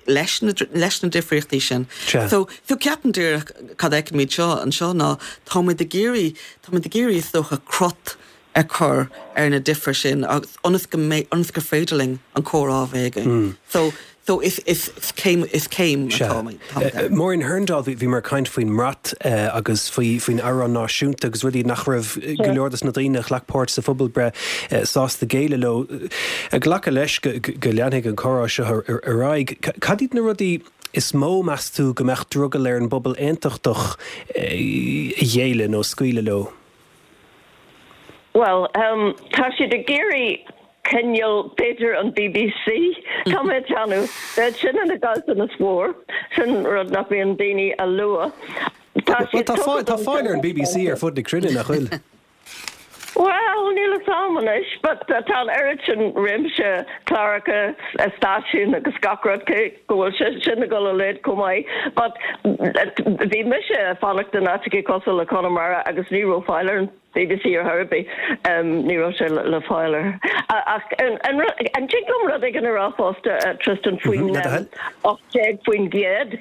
leis na, leis na difríochtaí sin. So so ceapaim díreach cad fheicimid seo anseo ná táimid ag iarraidh táimid ag iarraidh is dócha crot a chur ar na difir sin agus ionas go mé ionas gur féidir linn an comhrá a bheith againn. Mm. So so is is is céim is céim atá Maureen Hurndall bhí muid ag caint faoin mbrat agus faoi faoin amhrán náisiúnta agus rudaí nach raibh go leor des na daoine a ghlac páirt sa phobalbhreith sásta géilleadh leo. Glacadh leis go leanfaidh an comhrá seo ar aghaidh. Cad iad na rudaí is mó meas tú go mbeadh drogall ar an bpobal aontachtach a ghéilleadh nó scaoileadh leo? Well, um, tá siad ag iarraidh coinneáil b'fhéidir an BBC Tá mé ag déanamh bheadh sin ina gcaillteanas mhór sin rud nach mbíonn daoine a lua. Tá fáil ar an BBC ar fud na cruinne nach bhfuil. Well, níl a fhios agam anois, but tá an oiread sin réimse cláracha stáisiún agus gach rud cé go bhfuil sé sin ag dul i léig chomh maith. But bhí mise ag fanacht in áiteacha cosúil le Conamara agus ní raibh fáil ar an BBC ar chor ar bith ní raibh sé le fáil air. Ach an dtig liom rud éigin a rá fosta Tristan faoin ocht déag faoin gcéad?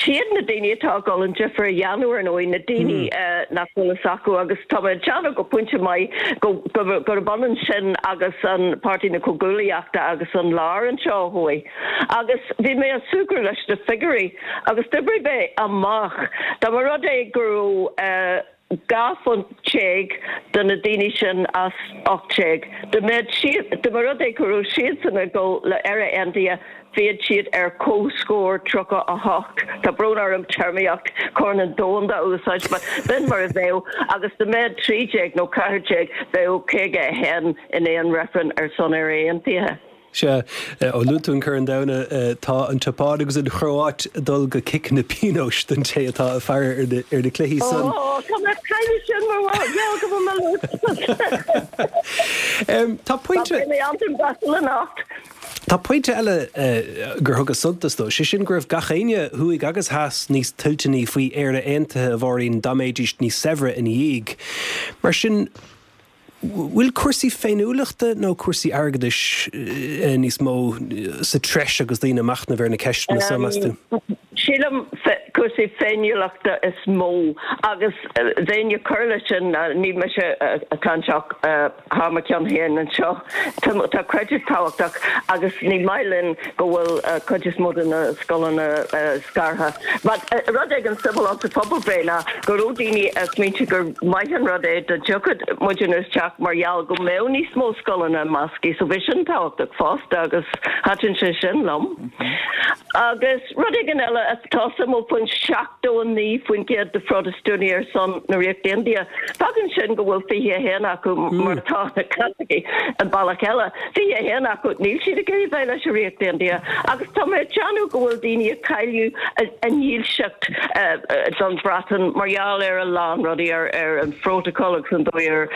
Siad na daoine atá ag dul an difear a dhéanamh ar ndóigh, na daoine nach bhfuil fhios acu agus tá mé ag déanamh go pointe maith gurb ionann sin agus an Páirtí na Comhghuaillíochta agus an lár anseo ó thuaidh. Agus bhí mé ag súgradh leis na figiúirí agus d'oibrigh mé amach dá mba rud é go raibh dhá phunt déag do na daoine sin as ocht déag. Dá mbeadh siad, dá mba rud é go raibh siadsan ag dul le Éire Aontaithe, bheadh siad ar comhscór tríocha a hocht. Tá brón orm téarmaíocht Chorn an Domhanda a úsáid, but b'in mar a bheadh, agus dá mbeadh trí déag nó ceathair déag, bheadh caoga a haon in aon reifreann ar son Éire Aontaithe. Sea, ó luaigh tú an Corn Domhanda, tá an tSeapáin agus an Chróit ag dul go ciceanna pionóis don té atá ag faire ar na cluichí san. Ó, tá mé ag cailleadh sin mar gheall go bhfuil mé Tá pointe. Tá mé an-bhasal anocht. Tá pointe eile gur thugas suntas dó, sé sin go raibh gach éinne, thuaidh agus theas, níos toilteanaí faoi Éire Aontaithe, a Mháirín, dá mbeidís níos saibhre ina dhiaidh. Mar sin, bhfuil cúrsaí féiniúlachta nó cúrsaí airgeadais níos mó sa treis agus daoine ag machnamh ar na ceisteanna seo, meas tú? Sílim cúrsaí féiniúlachta is mó agus bheinn ag cur leis sin, níl mise ag caint ach thar mo cheann féin anseo, tá creideamh tábhachtach agus ní maith linn go bhfuil cuid is mó de na scoileanna scartha. But rud éigin suimiúil ann sa phobalbhreith ná go raibh daoine ag smaointiú gur maith an rud é dá dtiocfadh muidne isteach mar gheall go mbeadh níos mó scoileanna measctha so bhí sin tábhachtach fosta agus thaitin sé sin liom. Agus rud éigin eile atá suimiúil faoin seachtó a naoi faoin gcéad de Phrotastúnaigh ar son na Ríochta Aontaithe, fágann sin go bhfuil fiche a haon acu mar atá na Caitlicigh an bealach eile, fiche a haon acu níl siad ag iarraidh bheith leis an Ríocht Aontaithe agus tá mé ag déanamh go bhfuil daoine ag cailleadh a ndílseacht don Bhreatain mar gheall ar a lán rudaí, ar an phrótacal agus an dóigh ar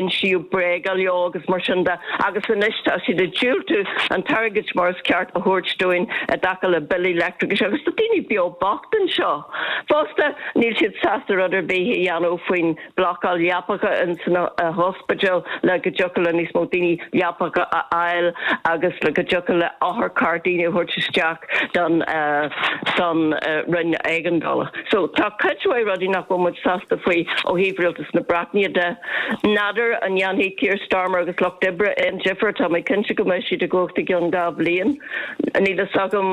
insíodh bréaga leo agus mar sin de agus anois tá siad ag diúltú an t-airgead mar is ceart a thabhairt dúinn i dtaca le billí leictreachais agus tá daoine beo bocht anseo. seo. Fosta níl siad sásta rud ar bith a dhéanamh faoin blocáil leapacha in san hospital le go dtiocfadh le níos mó daoine leapacha a fháil agus le go dtiocfadh le otharcharr daoine a thabhairt isteach don don roinn éigeandála. So tá cuid mhaith rudaí nach bhfuil muid sásta faoi ó thaobh rialtas na Breataine de. N'fheadar an ndéanfaidh Keir Starmer agus Lucht Oibre aon difear tá mé cinnte go mbeidh siad i gcumhacht i gceann dhá bhliain. Níl a fhios agam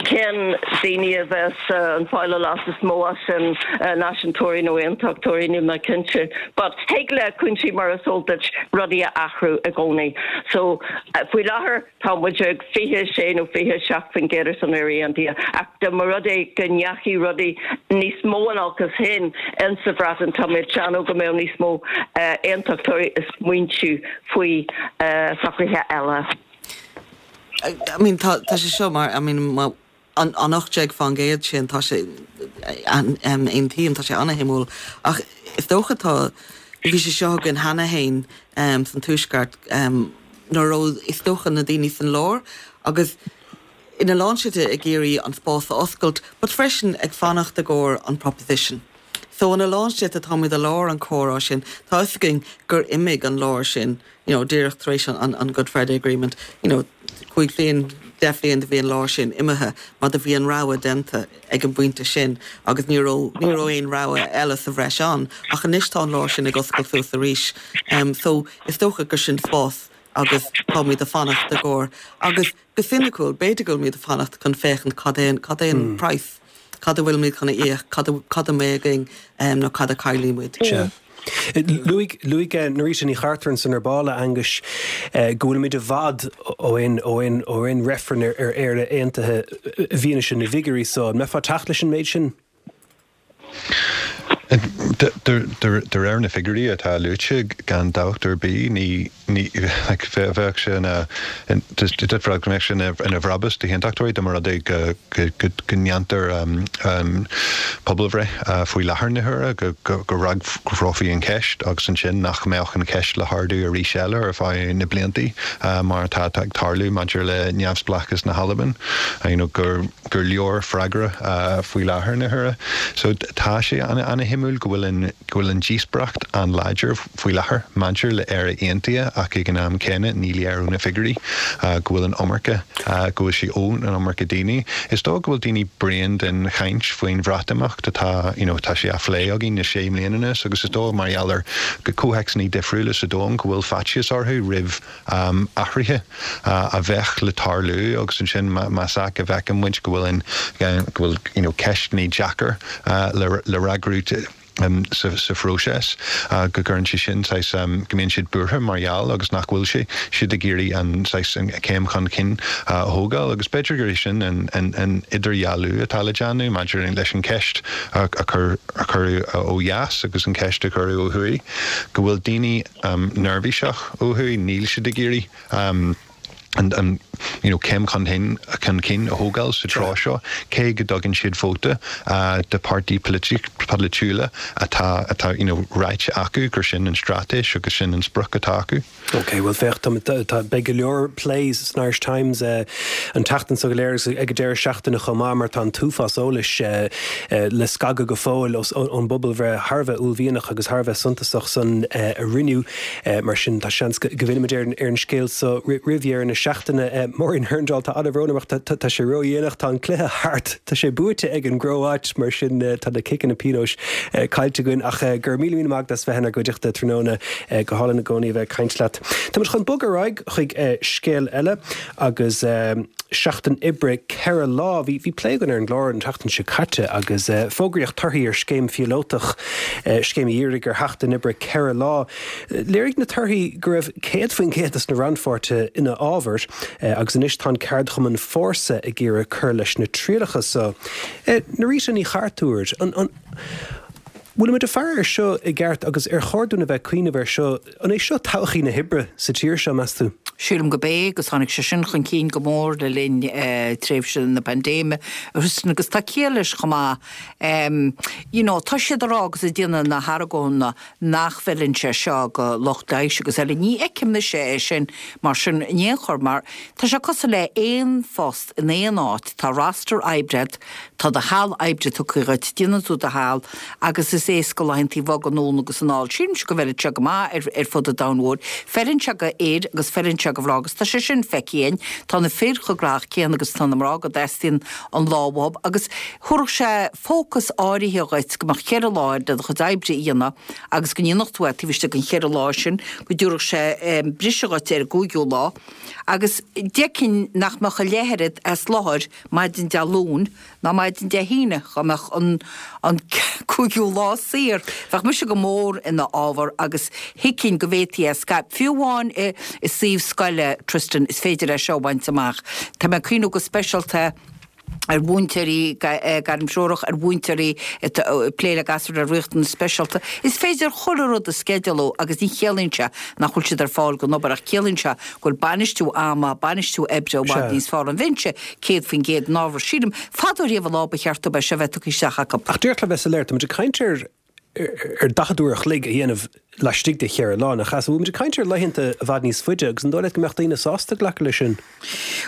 cén daoine a bheas ag fáil an leas is mó as sin náisiúntóirí nó aontachtóirí níl mé cinnte. But thig le cúinsí mar is eol duit rudaí a athrú i gcónaí. So faoi láthair tá muid ag fiche sé nó fiche seacht faoin gcéad ar son Éire Aontaithe ach dá mba rud é go ndeachaigh rudaí níos mó in olcas féin in sa Bhreatain tá mé ag déanamh go mbeadh níos mó aontachtóirí ag smaointiú faoi socruithe eile. I mean tá tá sé seo mar I mean má an an ocht déag faoin gcéad sin tá sé aontaím tá sé an-shuimiúil ach is dócha tá bhí sé seo againn cheana féin um, san tuaisceart um, nuair raibh is dócha na daoine san lár agus ina lán slite ag iarraidh an spás a oscailt, but freisin ag fanacht i gcomhair an proposition. So ina lán slite táimid i lár an chomhrá sin tá a fhios againn gur imigh an lár sin you know, díreach tar éis an, an Good Friday Agreement, you know, cúig bliain deich mbliana do bhí an lár sin imithe, mar do bhí an rogha déanta ag an bpointe sin agus ní raibh ní raibh aon rogha eile sa bhreis ann, ach anois tá an lár sin ag oscailt suas arís. Um, so is dócha gur sin spás agus táimid ag fanacht i gcomhair. Agus go soiniciúil b'fhéidir go bhfuilimid ag fanacht chun féachaint cad é cad é an mm. price, cad a bhfuilimid chun a íoc, cad a mbeidh againn um, nó cad a chaillfimid. Mm. Luaigh luaigh Norita Ní Chartúir san ar ball a Aonghais go bhfuilimid i bhfad ó aon ó aon ó aon reifreann ar ar Éire aontaithe i bhfianaise na bhfigiúirí so an mbeifeá ag teacht leis an méid sin? De réir na figiúirí atá luaite gan dabht ar bith ní bheadh sé ina go mbeadh sé ina bhrabús d'aontachtóirí dá mba rud é go ndéantar pobalbhreith faoi láthair na huaire go bhfreagrófaí an cheist agus ansin nach mbeadh an cheist le hardú arís eile ar feadh na blianta mar atá ag tarlú maidir le neamhspleáchas na hAlban gur gur leor freagra faoi láthair na huaire. So tá sé an-shuimiúil go bhfuil an go bhfuil an díospóireacht an-láidir faoi láthair maidir le Éire Aontaithe ach ag an am céanna ní léir ó na figiúirí go bhfuil an iomarca go bhfuil sé ón an iomarca daoine. Is dóigh go bhfuil daoine bréan den chaint faoin Bhreatimeacht atá you know, tá sé á phlé againn le sé bliana anois agus is dóigh mar gheall ar go comhthéacsanna difriúla sa domhan go bhfuil faitíos orthu roimh um, athruithe uh, a bheadh le tarlú agus ansin más ea go bhfeiceann muid go bhfuil an go bhfuil you know, ceisteanna deacair uh, le, le freagrú um, sa, sa phróiseas uh, go gcuireann sé sin saghas, um, go mbíonn siad buartha mar gheall agus nach bhfuil sé siad ag iarraidh an saghas, an céim chun cinn uh, a thógáil agus b'fhéidir gur é sin an, an, an idirdhealú atá le déanamh maidir leis an ceist a, a chur a cuireadh ó dheas agus an ceist a cuireadh ó thuaidh go bhfuil daoine um, neirbhíseach ó thuaidh níl siad ag iarraidh um, an, an you know, céim chun cinn chun cinn a thógáil sa tráth seo cé go dtugann siad vóta uh, de páirtí polaitiúla atá atá you know, ráite acu gur sin an straitéis agus sin an sprioc atá acu. Ok, well féach tá beidh go leor plé san Irish Times uh, an tseachtain seo go léir ag an deireadh seachtaine chomh maith mar tá an t-uafás eolais uh, uh, le scagadh go fóill ón bpobalbhreith thar a bheith uaillmhianach agus thar a bheith suntasach san uh, a rinneadh uh, mar sin tá seans go bhfillfimid ar ar an scéal so roimh dheireadh na seachtaine uh, Maureen Hurndall tá an-bhrón tá sé ródhéanach tá an cluiche thart tá sé buaite ag an gCróit mar sin uh, tá na ciceanna pionóis uh, caillte againn ach uh, gur míle míle maith as bheith inár gcuideachta tráthnóna uh, go hálainn i gcónaí bheith ag caint leat. Tá chun bogadh ar aghaidh chuig uh, scéal eile agus uh, seachtain oibre ceithre lá bhí bhí plé againn ar an gclár an tseachtain seo caite agus uh, fógraíodh torthaí ar scéim phíolótach uh, scéim a dhírigh ar sheachtain oibre ceithre lá. Léirigh na torthaí go raibh céad faoin gcéad de na rannpháirtithe ina fhabhar uh, agus anois tá ceardchumann Fórsa ag iarraidh cur leis na trialacha so. Uh, Norita Ní Chartúir an, an Bhfuil muid ag faire air seo i gceart agus ar chóir dúinn a bheith cuimhneamh air seo an é seo todhchaí na hoibre sa tír seo meas tú? Sílim gurb é agus tháinig sé sin chun cinn go mór le linn tréimhse na paindéime agus tá ciall leis chomh maith. You know, tá siad ag rá agus ag déanamh na hargóna nach bhfeileann sé seo go lucht leighis agus eile. Ní fheicim mise é sin mar sin in aon chor mar tá sé cosúil le aon phost in aon áit, tá roster oibre agat, tá do sheal oibre tugtha dhuit, déanann tú do sheal agus is éasca laethanta a bhogadh anonn agus anall. Sílimse go bhfeileann sé go maith ar fud an domhain mhóir. Feileann sé go fhir agus feileann sé go mhná agus tá sé sin feicthe againn. Tá na fir chomh gnóthach céanna agus tá na mná go dteastaíonn an lá uathu agus thabharfadh sé fócas áirithe dhuit go mbeadh ceithre lá le do chuid oibre a dhéanamh agus go ndéanfadh tú é taobh istigh den cheithre lá sin, go dtabharfadh sé briseadh dhuit ar an gcúigiú lá agus d'fheicfinn nach mbeadh a leath oiread as láthair maidin Dé Luain ná maidin Dé hAoine, dá mbeadh an an cúigiú lá saor. Bheadh mise go mór ina fhábhar agus thuigfinn go bhféadfaí é a scaipeadh. Fiú amháin i i suíomh scoile, Tristan, is féidir é seo a bhaint amach. Tá mé ag cuimhniú go speisialta ar mhúinteoirí gairmthreorach, ar mhúinteoirí atá ag plé le gasúir le riachtanais speisialta. Is féidir chuile rud a sceidealú agus ní chiallaíonn sé nach bhfuil siad ar fáil don obair ach ciallaíonn sé go bhfuil bainistiú ama, bainistiú oibre i bhfad níos fearr. An mbeinnse céad faoin gcéad in fhábhar? Sílim, fadó riamh an lá ba cheart dóibh é seo bheith tugtha isteach acu. Ach díreach le bheith soiléir, tá muid ag caint ar ar daichead uair a chloig a dhéanamh laistigh de cheithre lá, nach ea? So bhfuil muid ag caint ar laethanta i bhfad níos faide agus an dóigh leat go mbeadh daoine sásta glacadh leis sin?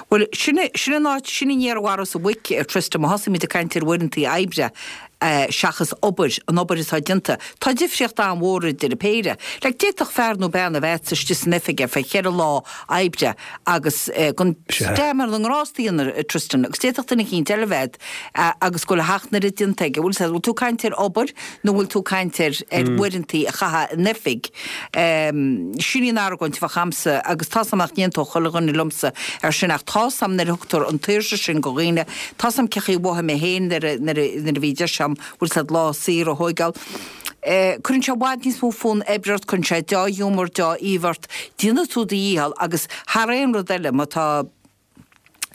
Bhuel, sin sin an áit, sin an fhéar a mharas an mhuic, Tristan, má thosaímid ag caint ar uaireanta oibre seachas obair, an obair atá déanta, tá difríocht an-mhór idir an péire. Like, d'fhéadfadh fear nó bean a bheith istigh san oifig ar feadh cheithre lá oibre agus gan stad ar na ngrástaí a dhéanamh, Tristan, agus d'fhéadfadh duine eicínt eile a bheith agus go bhfuil a sheacht n-oiread déanta aige. Bhfuil bhfuil tú ag caint ar obair nó bhfuil tú ag caint ar ar uaireanta a chaitheamh in oifig? Sin í an argóint a bheadh a'msa agus tá's a'm nach n-aontódh chuile dhuine liomsa ar sin ach tá's a'm nuair a thugtar an tsaoirse sin go dhaoine, tá's a'm cé chaoi a mhothaigh mé féin nuair a nuair a nuair a bhí deis a'm bhfuil 's a'd lá saor a thóigeáil. Cuireann sé i bhfad níos mó fonn oibre ort, cuireann sé deá-ghiúmar, deá-aoibh ort, déanann tú do dhícheall agus thar aon rud eile má tá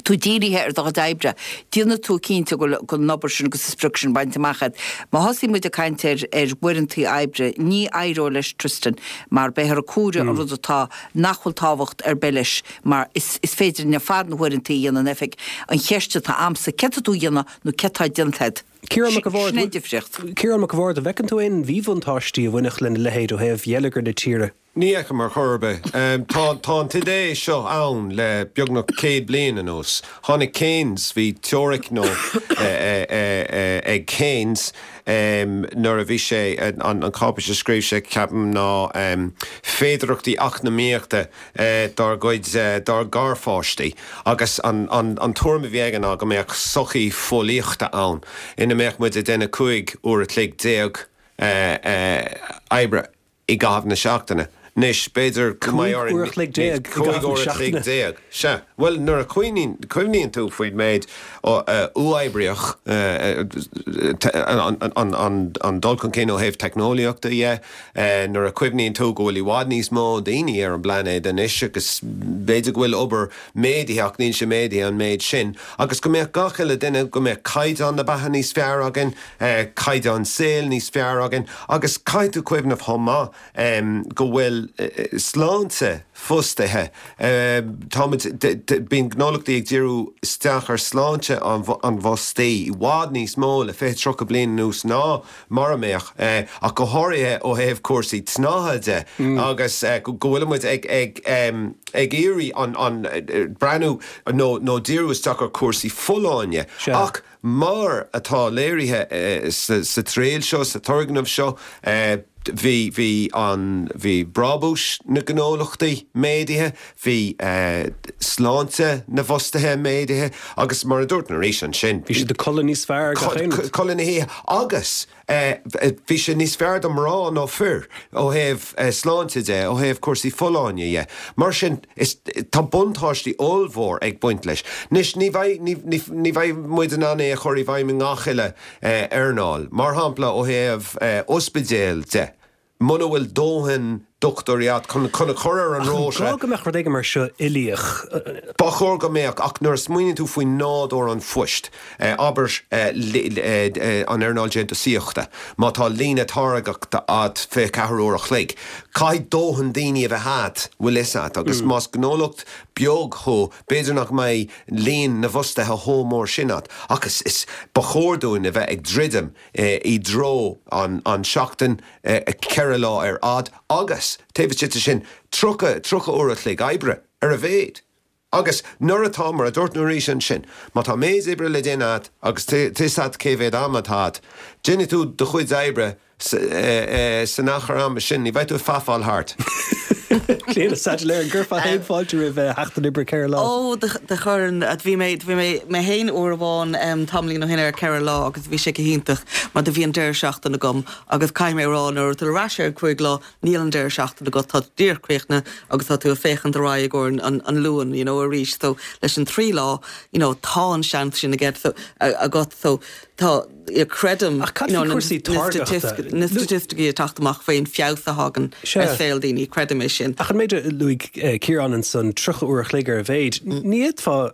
tú dírithe ar do chuid oibre, déanfaidh tú cinnte go bhfuil an obair sin agus an sprioc sin bainte amach agat. Má thosaíonn muid ag caint ar ar uaireanta oibre, ní éireoidh leis Tristan mar beifear ag comhaireamh an rud atá nach bhfuil tábhacht ar bith leis mar is is féidir linn ar fad na huaireanta a dhéanamh in oifig. An cheist atá a'msa, céard tá tú a dhéanamh nó céard tá déanta agat? Ciarán Mac a' Sin an difríocht. Ciarán Mac a' Bhaird, an bhfeiceann tú aon mhíbhuntáistí a bhainfeadh lena leithéid ó thaobh gheilleagar na tíre? Ní fheicim ar chor ar bith. Tá tá an t-idé seo ann le beagnach céad bliain anuas. Tháinig Keynes, bhí teoiric nó ag Keynes nuair a bhí sé, an cháipéis a scríobh sé ceapaim ná féidearthachtaí eacnamaíochta dár gcuid, dár ngarpháistí agus an an tuairim a bhí aige ná go mbeadh sochaí fóillíochta ann ina mbeadh muid ag déanamh cúig uair a chloig déag oibre i gcaitheamh na seachtaine. Anois, b'fhéidir go mbeidh orainn. Cúig uair a chloig déag i gcaitheamh na seachtaine. Déag. Sea. Bhuel, nuair a chuimhníonn tú faoin méid uathoibríoch, an dul chun cinn ó thaobh teicneolaíochta dhe, nuair a chuimhníonn tú go bhfuil i bhfad níos mó daoine ar an bpláinéad anois agus b'fhéidir go bhfuil obair méadaithe ach níl sé méadaithe an méid sin, agus go mbeadh gach uile duine, go mbeadh caighdeán na beatha níos fearr againn, caighdeán saoil níos fearr againn agus caithfidh tú cuimhneamh chomh maith go bhfuil sláinte fostaithe, táimid, bíonn gnólachtaí ag díriú isteach ar shláinte an bhfostaí i bhfad níos mó le fiche, tríocha bliain anuas ná mar a mbeadh, ach go háirithe ó thaobh cúrsaí tnáitheadh de agus go bhfuil muid ag ag ag iarraidh an an breathnú nó nó díriú isteach ar chúrsaí folláine ach mar atá léirithe sa sa triail seo, sa turgnamh seo, bhí bhí an bhí brabúis na gnólachtaí méadaithe, bhí sláinte na bhfostaithe méadaithe agus mar a dúirt mé arís ansin. Bhí siad ag codladh níos fearr gach aon rud. Codladh na hoíche agus bhí sé níos fearr do mná ná fir ó thaobh sláinte de, ó thaobh cúrsaí folláine dhe. Mar sin is tá buntáistí ollmhór ag baint leis. Anois ní bheidh ní ní ní bheidh muid in ann é a chur i bhfeidhm i ngach uile earnáil. Mar shampla ó thaobh ospidéal de, muna bhfuil dóthain dochtúirí agat chun chun a chur ar an Ach an rota. gá go mbeadh rud éigin mar seo uilíoch? Ba chóir go mbeadh, ach nuair a smaoiníonn tú faoi nádúr an phoist, abair an earnáil déantúsaíochta, má tá líne táirgeachta agat fiche ceathair uair a chloig, caithfidh dóthain daoine a bheith agat, bhfuil fhios agat, agus más gnólacht beag thú, b'fhéidir nach mbeidh líon na bhfostaithe chomh mór sin agat. Ach is, is, ba chóir dúinn a bheith ag druidim i dtreo an, an seachtain ceithre lá ar fhad agus, taobh istigh de sin, tríocha, tríocha uair a chloig oibre, ar a mhéad. Agus nuair atá, mar a dúirt Norita ansin, má tá méid oibre le déanamh agat agus tá fhios agat cé mhéad am atá agat, déanfaidh tú do chuid oibre san achar ama sin, ní bheidh tú ag fafáil thart. Clíona Saidléir, an gcuirfeá féin fáilte roimh sheachtain oibre ceithre lá? Ó, do chuirfinn. Bhí mé, bhí mé, mé féin uair amháin tamaillín ó shin ar ceithre lá agus bhí sé go hiontach mar do bhí an deireadh seachtaine agam agus caithfidh mé a rá nuair atá tú ar ais ar an cúig lá níl an deireadh seachtaine agat, tá tú díreach críochnaithe agus tá tú ag féachaint ar aghaidh i gcomhair an, an Luan you know arís so leis an trí lá you know tá an seans sin agat so agat so tá creidim Ach cad faoi cúrsaí táirgeachta? na staitisticí ag teacht amach faoin feabhas a thagann ar saol daoine, creidim é sin. Ach an méid a luaigh Ciarán ansan, tríocha uair a chloig ar a mhéid, ní fhéadfá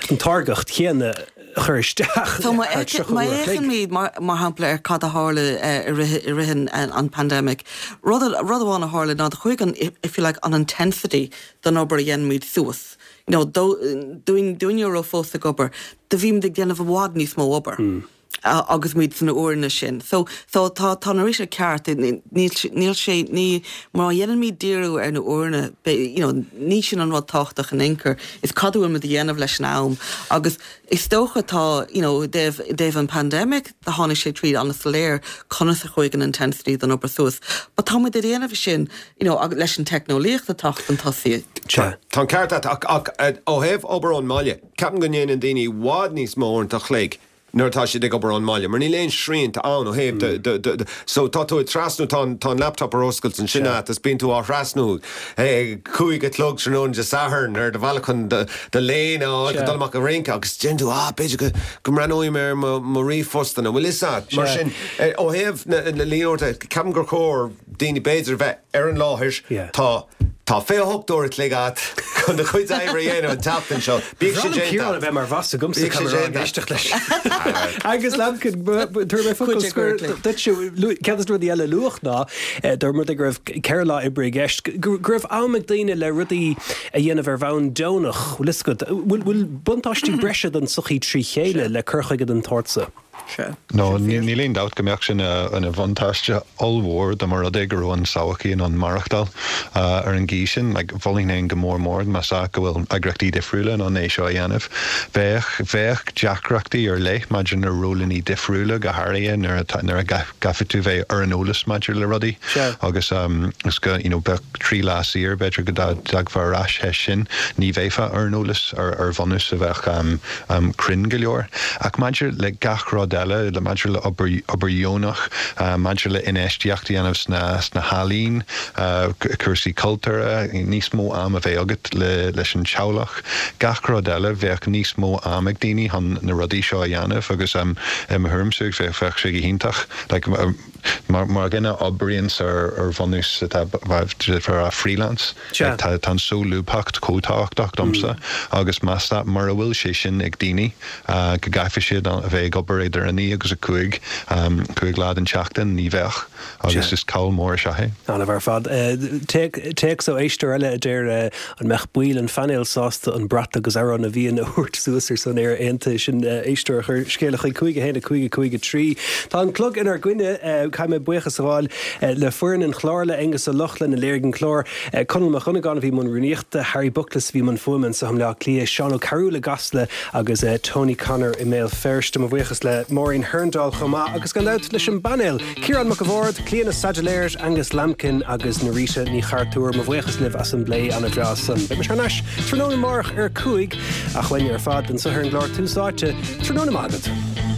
an táirgeacht chéanna a chur isteach So má thar tríocha uair a chloig. fhéachaimid mar shampla ar cad a tharla i rith an pandemic, rud rud amháin a tharla ná do chuaigh an, if you like, an intensity den obair a dhéanaimid suas. You know, dúinn dúinne a raibh fós ag obair, do bhímid ag déanamh i bhfad níos mó obair. agus muid sna uaireanta sin. So so tá tá Norita ceart, níl níl sé ní má dhéanaimid díriú ar na uaireanta you know ní sin an rud tábhachtach in aon chor, is cad a bhfuil muid a dhéanamh leis an am agus is dócha tá you know i dtaobh i dtaobh an pandemic do tháinig sé tríd an-soiléir conas a chuaigh an intensity den obair suas. But tá muid ag déanamh sin you know leis an teicneolaíocht atá chun tosaigh. Tá an ceart agat ach ach ó thaobh obair ón mbaile, ceapaim go ndéanann daoine i bhfad níos mó uaireanta a chloig nuair atá siad ag obair ón mbaile, mar níl aon srianta ann ó thaobh de, de, de, de, so tá tú ag trasnú, tá an, tá an laptop ar oscailt ansin agat is bíonn tú á thrasnú ag cúig a chlog tráthnóna Dé Sathairn ar do bhealach chun do, do léine a fháil, go dul amach ag rince agus deireann tú, ah, b'fhéidir go, go mbreathnóidh mé ar mo, mo ríomhphostanna, bhfuil fhios agat? Mar sin, ó thaobh na, na líon uaireanta, ceapaim gur chóir daoine b'fhéidir a bheith ar an láthair, tá, Tá fiche hocht uair a chloig agat chun do chuid oibre a dhéanamh an tseachtain seo. Bíodh sé déanta. Ciarán a bheith mar bhoss agamsa Bíodh sé caithfidh mé a rá ag déanta. éisteacht leis. Agus Lambkin, tabharfaidh mé focal scoir duit. Ceann de na rudaí eile a luadh ná, dá mba rud é go raibh ceithre lá oibre i gceist, go raibh am ag daoine le rudaí a dhéanamh ar bhonn deonach. Bhfuil fhios agat, bhfuil buntáistí breise don tsochaí trí chéile le cur chuige den tsórt seo? No, níl aon dabht go mbeadh sin ina bhuntáiste ollmhór dá mba rud é go raibh an tsochaí in ann maireachtáil ar an gcaoi sin. Like, mholfainn féin go mór mór más ea go bhfuil eagraíochtaí difriúla in ann é seo a dhéanamh. Bheadh, bheadh deacrachtaí ar leith maidir na rólanna difriúla, go háirithe nuair atá, nuair a gcaithfidh tú bheith ar an eolas maidir le rudaí agus is go, you know, bheadh trí lá saor, b'fhéidir go dtagfá ar ais théis sin, ní bheifeá ar an eolas ar, ar bhunús a bheadh cruinn go leor. Ach maidir le gach rud eile, le maidir le obair, obair dheonach, maidir le infheistíocht a dhéanamh sna, sna healaíona, cúrsaí cultúrtha, níos mó am a bheith agat le, leis an teaghlach, gach rud eile, bheadh níos mó am ag daoine chun na rudaí seo a dhéanamh agus i mo thuairimse bheadh, bheadh sé go hiontach. Like, mar, mar dhuine a oibríonns ar, ar bhunús atá, ar freelance, like, tá, tá an solúbthacht chomh tábhachtach domsa agus más ea, mura bhfuil sé sin ag daoine, go gcaithfidh siad a bheith ag obair idir a naoi agus a cúig, cúig lá den tseachtain, ní bheadh agus is call mór is ea é. An-mhaith ar fad. Téacs ó éisteoir eile a deir an mbeadh baill an phainéil sásta an brat agus Amhrán na bhFiann a thabhairt suas ar son Éire Aontaithe. Sin éisteoir a chuir scéala chuig cúig a haon a cúig a cúig a trí. Tá an clog inár gcoinne. Caithfidh mé buíochas a ghabháil le foireann an chláir, le Aengus Ó Lochlainn a léirigh an clár, Conall Mac Dhonnagáin a bhí i mbun rúnaíochta, Harry Buckles a bhí i mbun fuaime anseo i mBleá Cliath, Seán Ó Cearúil i gCasla agus Tony Connor i mBéal Feirste. Mo bhuíochas le Máirín Hurndall chomh maith agus gan dabht leis an bpainéal, Ciarán Mac a' Bhaird, Clíona Saidléir, Angus Lambkin agus Norita Ní Chartúir. Mo bhuíochas libh as an bplé an-bhreá san. Beidh mise thar n-ais tráthnóna amárach ar a cúig ach uainne ar fad anseo ar an gclár Tús Áite. Tráthnóna maith agat.